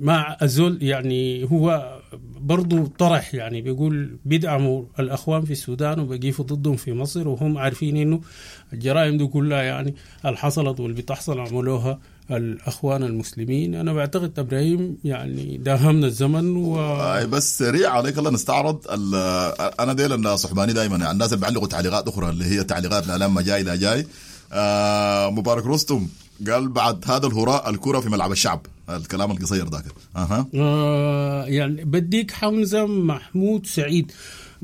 مع الزول يعني هو برضو طرح يعني بيقول بيدعموا الأخوان في السودان وبيقفوا ضدهم في مصر وهم عارفين إنه الجرائم دي كلها يعني الحصلت واللي بتحصل عملوها الأخوان المسلمين. أنا بعتقد إبراهيم يعني داهمنا الزمن بس سريع عليك الله نستعرض. أنا ديل صحباني دائما يعني الناس اللي بيعلقوا تعليقات أخرى اللي هي تعليقات لا ما جاي لا جاي. مبارك رستم قال بعد هذا الهراء الكرة في ملعب الشعب، الكلام القصير ذاك. يعني بديك حمزة محمود سعيد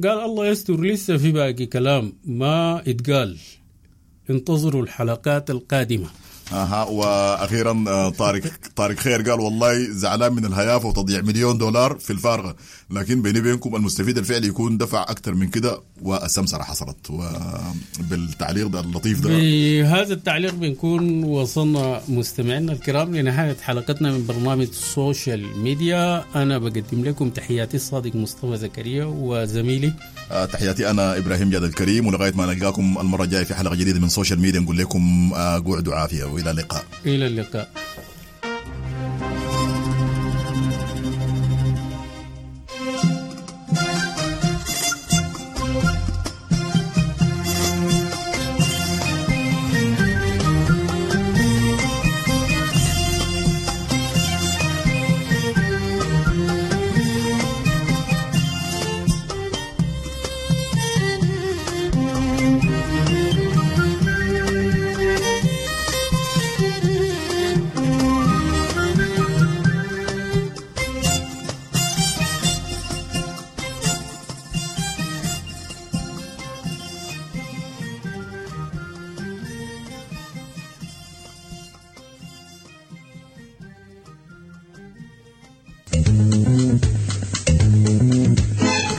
قال الله يستر لسه في باقي كلام ما اتقال، انتظروا الحلقات القادمة. واخيرا طارق خير قال والله زعلان من الهيافه وتضييع $1,000,000 في الفارغة، لكن بيني بينكم المستفيد الفعلي يكون دفع اكثر من كده والسمسره حصلت. وبالتعليق ده اللطيف ده، بهذا التعليق بنكون وصلنا مستمعينا الكرام لنهاية حلقتنا من برنامج السوشيال ميديا. انا بقدم لكم تحياتي الصادق مصطفى زكريا وزميلي تحياتي انا ابراهيم جاد الكريم، ولغاية ما نلقاكم المرة الجاية في حلقة جديدة من سوشيال ميديا نقول لكم قعدوا عافية والى اللقاء. إلى اللقاء.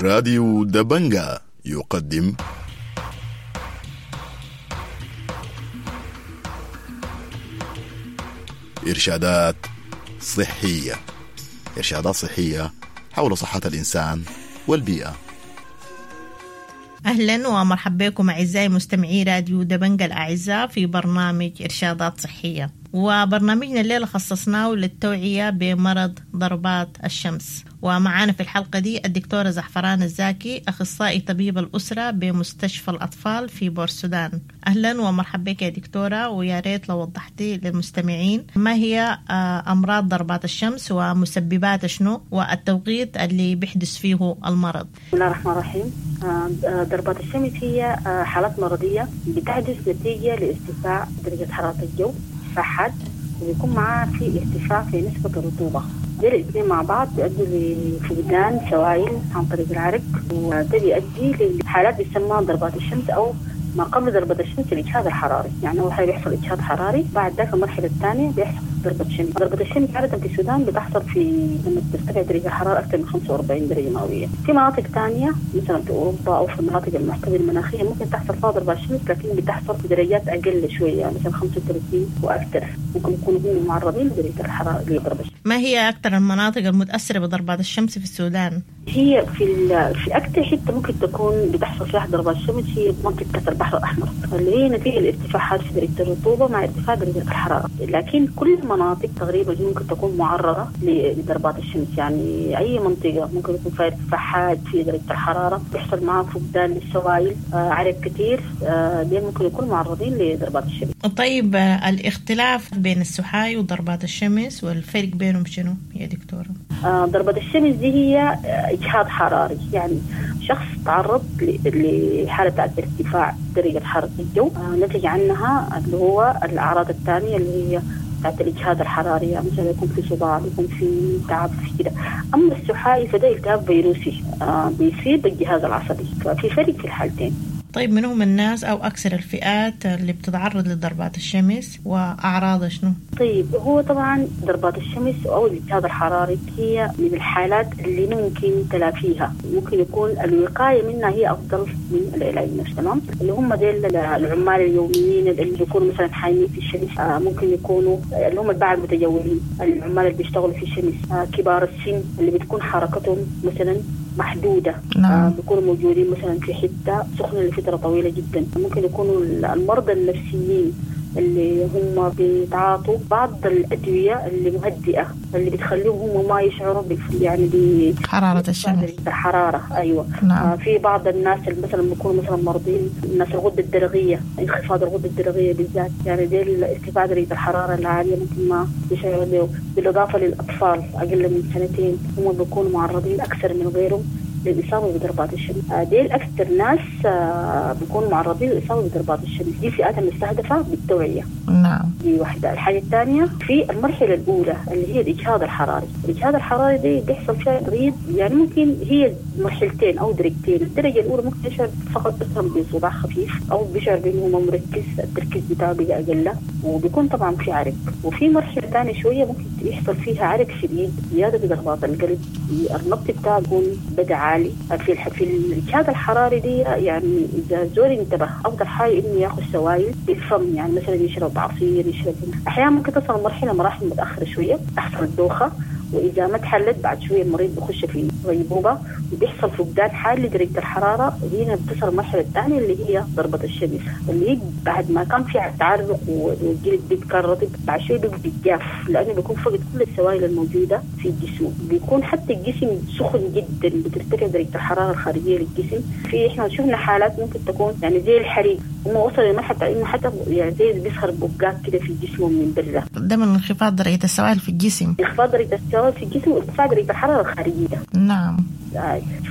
راديو دبنجا يقدم إرشادات صحية، إرشادات صحية حول صحة الإنسان والبيئة. أهلا ومرحبا بكم أعزائي مستمعي راديو دبنجا الأعزاء في برنامج إرشادات صحية، وبرنامجنا الليلة خصصناه للتوعية بمرض ضربات الشمس. ومعانا في الحلقة دي الدكتورة زعفران الزاكي، أخصائي طبيب الأسرة بمستشفى الأطفال في بورسودان. أهلا ومرحبا بك يا دكتورة، ويا ريت لو وضحتي للمستمعين ما هي أمراض ضربات الشمس ومسببات شنو والتوقيت اللي بيحدث فيه المرض. بسم الله الرحمن الرحيم. ضربات الشمس هي حالات مرضية بتحدث نتيجة لارتفاع درجة حرارة الجو حاد، وبيكون معاه في ارتفاع في نسبة الرطوبة. دول الاثنين مع بعض بيؤدوا لفقدان سوائل عن طريق العرق، وده بيؤدي لحالات بيسمى ضربات الشمس أو ما قبل ضربة الشمس الإجهاد الحراري. يعني أول حاجة بيحصل إجهاد حراري، بعد ذاك المرحلة الثانية بيحصل ضربة شمس. ضربة الشمس عادة في السودان بتحصل في لما ترتفع درجة الحرارة أكثر من 45 درجة مئوية. في مناطق ثانية مثلا في أوروبا أو في المناطق المعتدلة المناخية ممكن تحصل فيها ضربة شمس، لكن بتحصل في درجات أقل شوية، يعني مثلا 35 وأكثر، ممكن يكونوا هم معرضين لدرجة الحرارة لضربة الشمس. ما هي أكثر المناطق المتأثرة بضربات الشمس في السودان؟ هي في أكثر حتة ممكن تكون بتحصل فيها ضربات الشمس هي منطقة البحر الأحمر، اللي هي نتيجة الارتفاعات في درجة الرطوبة مع ارتفاع درجة الحرارة. لكن كل المناطق تقريبا ممكن تكون معرضة لضربات الشمس، يعني أي منطقة ممكن يكون فيها ارتفاع حاد في درجة الحرارة بيحصل معها فقدان للسوائل، عرق كثير، دي ممكن يكون معرضين لضربات الشمس. طيب الاختلاف بين السحاي وضربات الشمس والفرق بينهم شنو يا دكتورة؟ ضربة الشمس دي هي إجهاد حراري، يعني شخص تعرض لحالة بتاعت ارتفاع درجة حرارة الجو، نتج عنها اللي هو الأعراض الثانية اللي هي بتاعت الإجهاد الحراري، يعني مثلا يكون في صداع، يكون في تعب، في كده. أما السحائي فده التهاب فيروسي بيصيب الجهاز العصبي، ففي فرق في الحالتين. طيب من هم الناس أو أكثر الفئات اللي بتتعرض لضربات الشمس وأعراضها شنو؟ طيب هو طبعا ضربات الشمس أو الإجهاد الحراري هي من الحالات اللي ممكن تلافيها، ممكن يكون الوقاية منها هي أفضل من العلاج نفسه. تمام، اللي هم ديل العمال اليوميين اللي بيكونوا مثلا حايمين في الشمس، ممكن يكونوا اللي هم الباعة المتجولين، العمال اللي بيشتغلوا في الشمس، كبار السن اللي بتكون حركتهم مثلا محدودة. نعم. بيكونوا موجودين مثلا في حتة سخنة لفترة طويلة جدا، ممكن يكونوا المرضى النفسيين اللي هم بيتعاطوا بعض الأدوية اللي مهدئة اللي بتخليهم هم ما يشعروا يعني حرارة الشمس، الحرارة. أيوة. نعم. في بعض الناس اللي مثلا بيكونوا مثلا مرضين، الناس الغدة الدرقية، انخفاض الغدة الدرقية بالذات، يعني ديل ارتفاع درجة الحرارة العالية ممكن ما يشعروا به. بالإضافة للأطفال أقل من سنتين هم بيكونوا معرضين أكثر من غيرهم للإصابة بضربات الشمس. ديل أكثر ناس بيكونوا معرضين للإصابة بضربات الشمس. دي فئات المستهدفة بالتوعية. نعم. دي واحدة. الحاجة الثانية في المرحلة الأولى اللي هي الإجهاد الحراري. الإجهاد الحراري دي بيحصل فيها تغيير، يعني ممكن هي مرحلتين أو درجتين. الدرجة الأولى ممكن يشعر فقط مثلا بصداع خفيف أو بيشعر بأنه ما مركز، التركيز بتاعه بيبقى أقل، وبيكون طبعا في عرق. وفي مرحلة ثانية شوية ممكن يحصل فيها عرق شديد، زيادة بضربات القلب، النبض بتاعه بيكون بدأ عالي. في الإجهاد الحراري دي يعني إذا زول انتبه أفضل حاجة إنه ياخذ سوائل بالفم، يعني مثلا يشرب عصير، يشرب. أحيانا ممكن تصل مرحلة مراحل متأخرة شوية تحصل الدوخة، وإذا ما تحلت بعد شوية المريض بخش في غيبوبة وبيحصل فقدان حاد لدرجة الحرارة. وهنا بتصل المرحلة الثانية اللي هي ضربة الشمس، اللي هي بعد ما كان في تعرق والجلد بيبقى رطب، بعد شوية بيبقى جاف لأنه بيكون فقد كل السوائل الموجودة في الجسم، بيكون حتى الجسم سخن جدا، بترتفع درجة الحرارة الخارجية للجسم. في إحنا شفنا حالات ممكن تكون يعني زي الحريق، هم وصلوا لمرحلة إنه حتى يعني زي بيظهر بقات كده في جسمه من برا. ده من انخفاض درجة السوائل في الجسم. انخفاض درجة السوائل في الجسم وارتفاع درجة الحرارة الخارجية. نعم.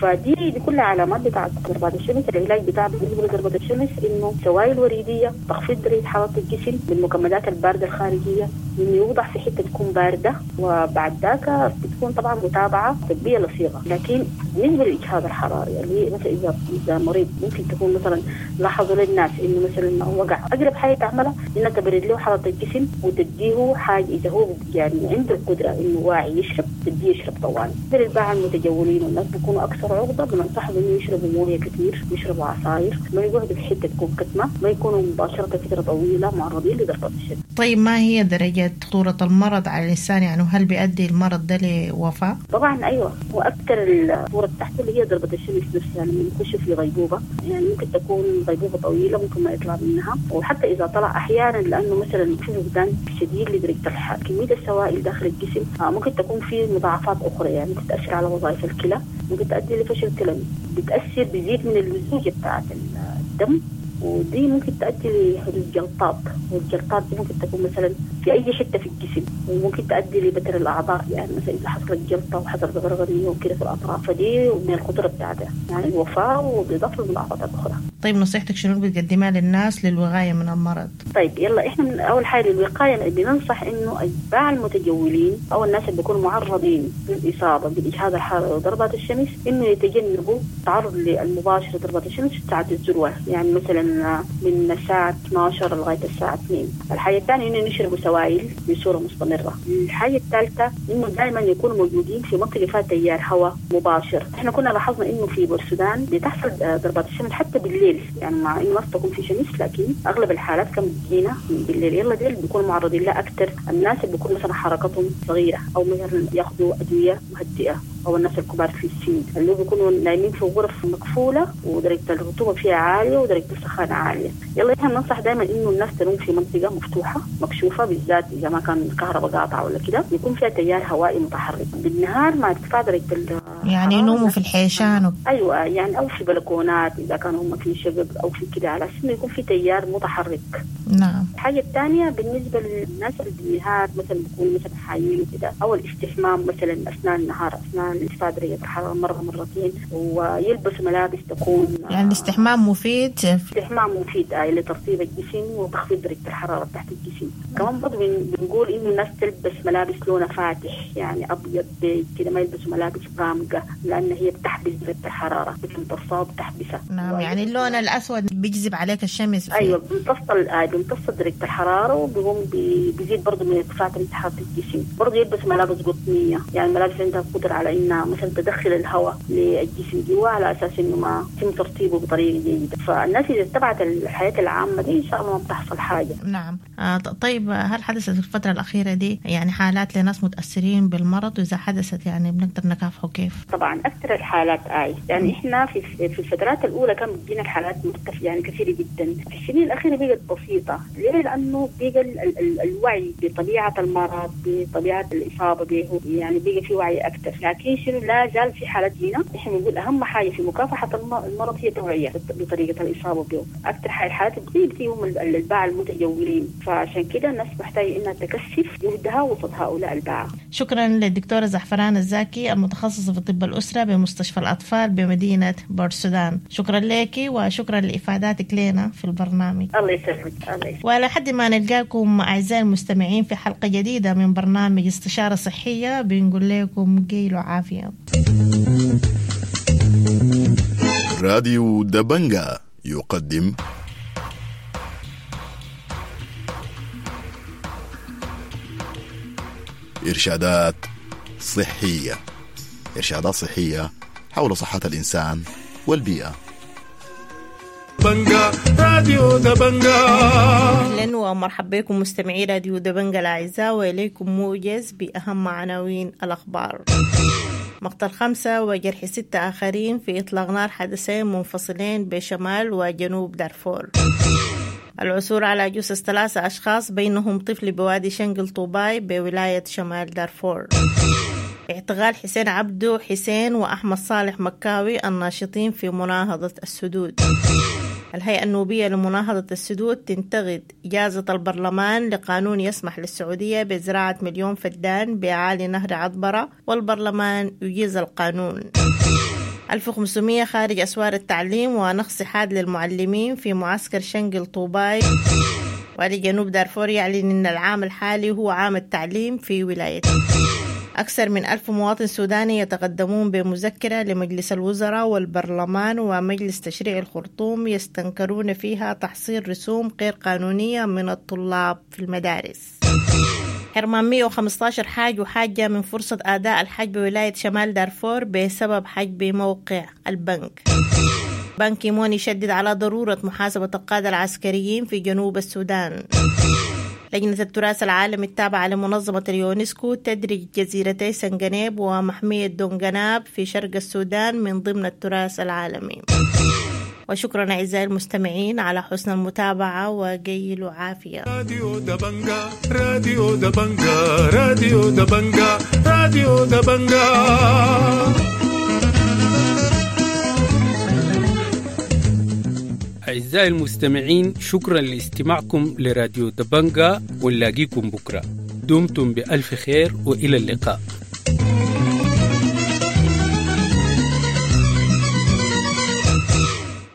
فدي كلها علامات بتاعت ضربات الشمس. العلاج بتاع بالنسبة لضربة الشمس إنه سوائل وريدية، تخفيض درجة حرارة الجسم بالمكمدات الباردة الخارجية، إنه يوضع في حتة تكون باردة، وبعد ذاك بتكون طبعا متابعة طبية لصيغة. لكن بالنسبة للإجهاد الحراري اللي مثلا إذا مريض ممكن تكون مثلا لاحظوا للناس إنه مثلا وقع، أقرب حاجة تعملها إنها تبرد له حرارة الجسم وتديه حاجة إذا هو يعني عنده القدرة إنه واعي يشرب، تديه يشرب طوال. بالباع المتجولين والناس بيكونوا أكثر عرضة، بننصحهم إنه يشربوا موية كثير، يشربوا عصاير، ما يقعدوا في حتة تكون كتمة، ما يكونوا مباشرة فترة طويلة معرضين لضربات الشمس. طيب ما هي درجة خطورة المرض على الإنسان؟ يعني هل بيؤدي المرض ده لوفاة؟ طبعا أيوة، وأكثر الخطورة بتاعته اللي هي ضربة الشمس نفسها، لما يخش في غيبوبة، يعني ممكن تكون غيبوبة طويلة ممكن ما يطلع منها، وحتى إذا طلع أحيانا لأنه مثلا في فقدان شديد لدرجة كمية السوائل داخل الجسم، ممكن تكون في مضاعفات أخرى، يعني ممكن تأثر على وظائف الكلى، ممكن تؤدي لفشل كلوي، بتأثر بيزيد من اللزوجة بتاعت الدم، ودي ممكن تؤدي لحدوث جلطات، والجلطات دي ممكن تكون مثلا في أي حتة في الجسم، وممكن تؤدي لبتر الأعضاء، يعني مثلا إذا حصلت جلطة وحصلت غرغرية وكده في الأطراف، فدي من الخطورة بتاعتها يعني الوفاة وبإضافة للمضاعفات الأخرى. طيب نصيحتك شنو بتقدمها للناس للوقاية من المرض؟ طيب يلا إحنا من أول حاجة للوقاية بننصح إنه أتباع المتجولين أو الناس اللي بيكونوا معرضين للإصابة بالإجهاد الحراري وضربات الشمس إنه يتجنبوا التعرض المباشر لضربات الشمس في ساعة الذروة، يعني مثلا من الساعة 12 لغاية الساعة 2. الحاجة الثانية إنه يشربوا سوائل بصورة مستمرة. الحاجة الثالثة إنه دائما يكونوا موجودين في منطقة فيها تيار هواء مباشر. إحنا كنا لاحظنا إنه في بورسودان بتحصل ضربات الشمس حتى بالليل، يعني مع إنه ما تكون في شمس لكن أغلب الحالات كان بتجينا بالليل. يلا ديل بيكونوا معرضين لها أكثر الناس اللي بيكون مثلا حركتهم صغيرة أو مثلا ياخذوا أدوية مهدئة، أو الناس الكبار في السن اللي بيكونوا نايمين في غرف مقفولة ودرجة الرطوبة فيها عالية ودرجة السخانة عالية. يلا إحنا بننصح دائما إنه الناس تنوم في منطقة مفتوحة مكشوفة، بالذات إذا ما كان الكهرباء قاطعة ولا كده، يكون فيها تيار هوائي متحرك بالنهار مع ارتفاع درجة يعني ينوموا في الحيشان أيوة، يعني أو في بلكونات إذا كانوا هم في شقق أو في كده، على أساس إنه يكون في تيار متحرك. نعم. الحاجة الثانية بالنسبة للناس اللي بالنهار مثلا بيكونوا مثلا حايمين وكده، أو الاستحمام مثلا أثناء النهار أثناء ارتفاع درجة الحرارة مرة مرتين، ويلبس ملابس تكون يعني الاستحمام مفيد. الاستحمام مفيد لترطيب الجسم وتخفيض درجة الحرارة تحت الجسم. كمان برضه بنقول إنه الناس تلبس ملابس لونها فاتح، يعني أبيض بيج كده، ما يلبسوا ملابس غامقة لأن هي بتحبس درجة الحرارة، بتمتصها وبتحبسها. نعم، يعني اللون الأسود بيجذب عليك الشمس. أيوة، بيمتص درجة الحرارة وبيقوم بيزيد برضه من ارتفاع درجة حرارة الجسم. برضه يلبس ملابس قطنية، يعني ملابس عندها قدرة على انها مثلا تدخل الهواء للجسم جوا على اساس انه ما يتم ترطيبه بطريقة جيدة. فالناس اذا اتبعت الحياة العامة دي ان شاء الله ما بتحصل حاجة. نعم. طيب، هل حدثت في الفترة الأخيرة دي يعني حالات لناس متأثرين بالمرض؟ وإذا حدثت يعني بنقدر نكافحه كيف؟ طبعا اكثر الحالات يعني احنا في الفترات الاولى كان بتجينا الحالات مرتفعة يعني كثيرة جدا. في السنين الاخيرة بقت بسيطة. ليه؟ لانه بقى الوعي بطبيعة المرض، بطبيعة الاصابة به، يعني بقى في وعي اكثر. لكن شنو، لا زال في حالات جينا احنا بنقول اهم حاجة في مكافحة المرض هي توعيه بطريقة الاصابة به. اكثر الحالات بتيجي هم الباعة المتجولين، فعشان كده الناس محتاجه انها تكثف جهدها وسط هؤلاء الباعة. شكرا للدكتوره زعفران الزاكي المتخصصة في طب الاسرة بمستشفى الاطفال بمدينة بورسودان. شكرا لك وشكرا لافاداتك لنا في البرنامج. الله يسلمك. الله يسلمك. ولحد ما نلقاكم اعزائي المستمعين في حلقة جديدة من برنامج استشاره صحية، بنقول لكم قيلوا عافية. راديو دبنجا يقدم إرشادات صحية. إرشادات صحية حول صحة الإنسان والبيئة. دبنجا، راديو دبنجا. أهلا ومرحبا بكم مستمعي راديو دبنجا الأعزاء، وإليكم موجز بأهم عناوين الأخبار. مقتل 5 وجرح 6 آخرين في إطلاق نار حدثين منفصلين بشمال وجنوب دارفور. العثور على جثث 3 أشخاص بينهم طفل بوادي شنقل طوباي بولاية شمال دارفور. اعتقال حسين عبدو حسين وأحمد صالح مكاوي الناشطين في مناهضة السدود. الهيئة النوبية لمناهضة السدود تنتقد إجازة البرلمان لقانون يسمح للسعودية بزراعة 1,000,000 فدان بأعالي نهر عطبرة، والبرلمان يجيز القانون. 1500 خارج أسوار التعليم ونقص حاد للمعلمين في معسكر شنقل طوباي. والي جنوب دارفور يعلن أن العام الحالي هو عام التعليم في ولايته. أكثر من 1000 مواطن سوداني يتقدمون بمذكرة لمجلس الوزراء والبرلمان ومجلس تشريع الخرطوم يستنكرون فيها تحصيل رسوم غير قانونية من الطلاب في المدارس. حرمان 115 حاج وحاجة من فرصة أداء الحج بولاية شمال دارفور بسبب حجب موقع البنك. بان كيمون يشدد على ضرورة محاسبة القادة العسكريين في جنوب السودان. لجنة التراث العالمي التابعة لمنظمة اليونسكو تدرج جزيرتي سنغنيب ومحمية دونغناب في شرق السودان من ضمن التراث العالمي. وشكرا أعزائي المستمعين على حسن المتابعة وقيلوا عافية. راديو دبنجا، راديو دبنجا، راديو دبنجا، راديو دبنجا. أعزائي المستمعين، شكرا لاستماعكم لراديو دبنجا، ونلاقيكم بكرة. دمتم بألف خير وإلى اللقاء.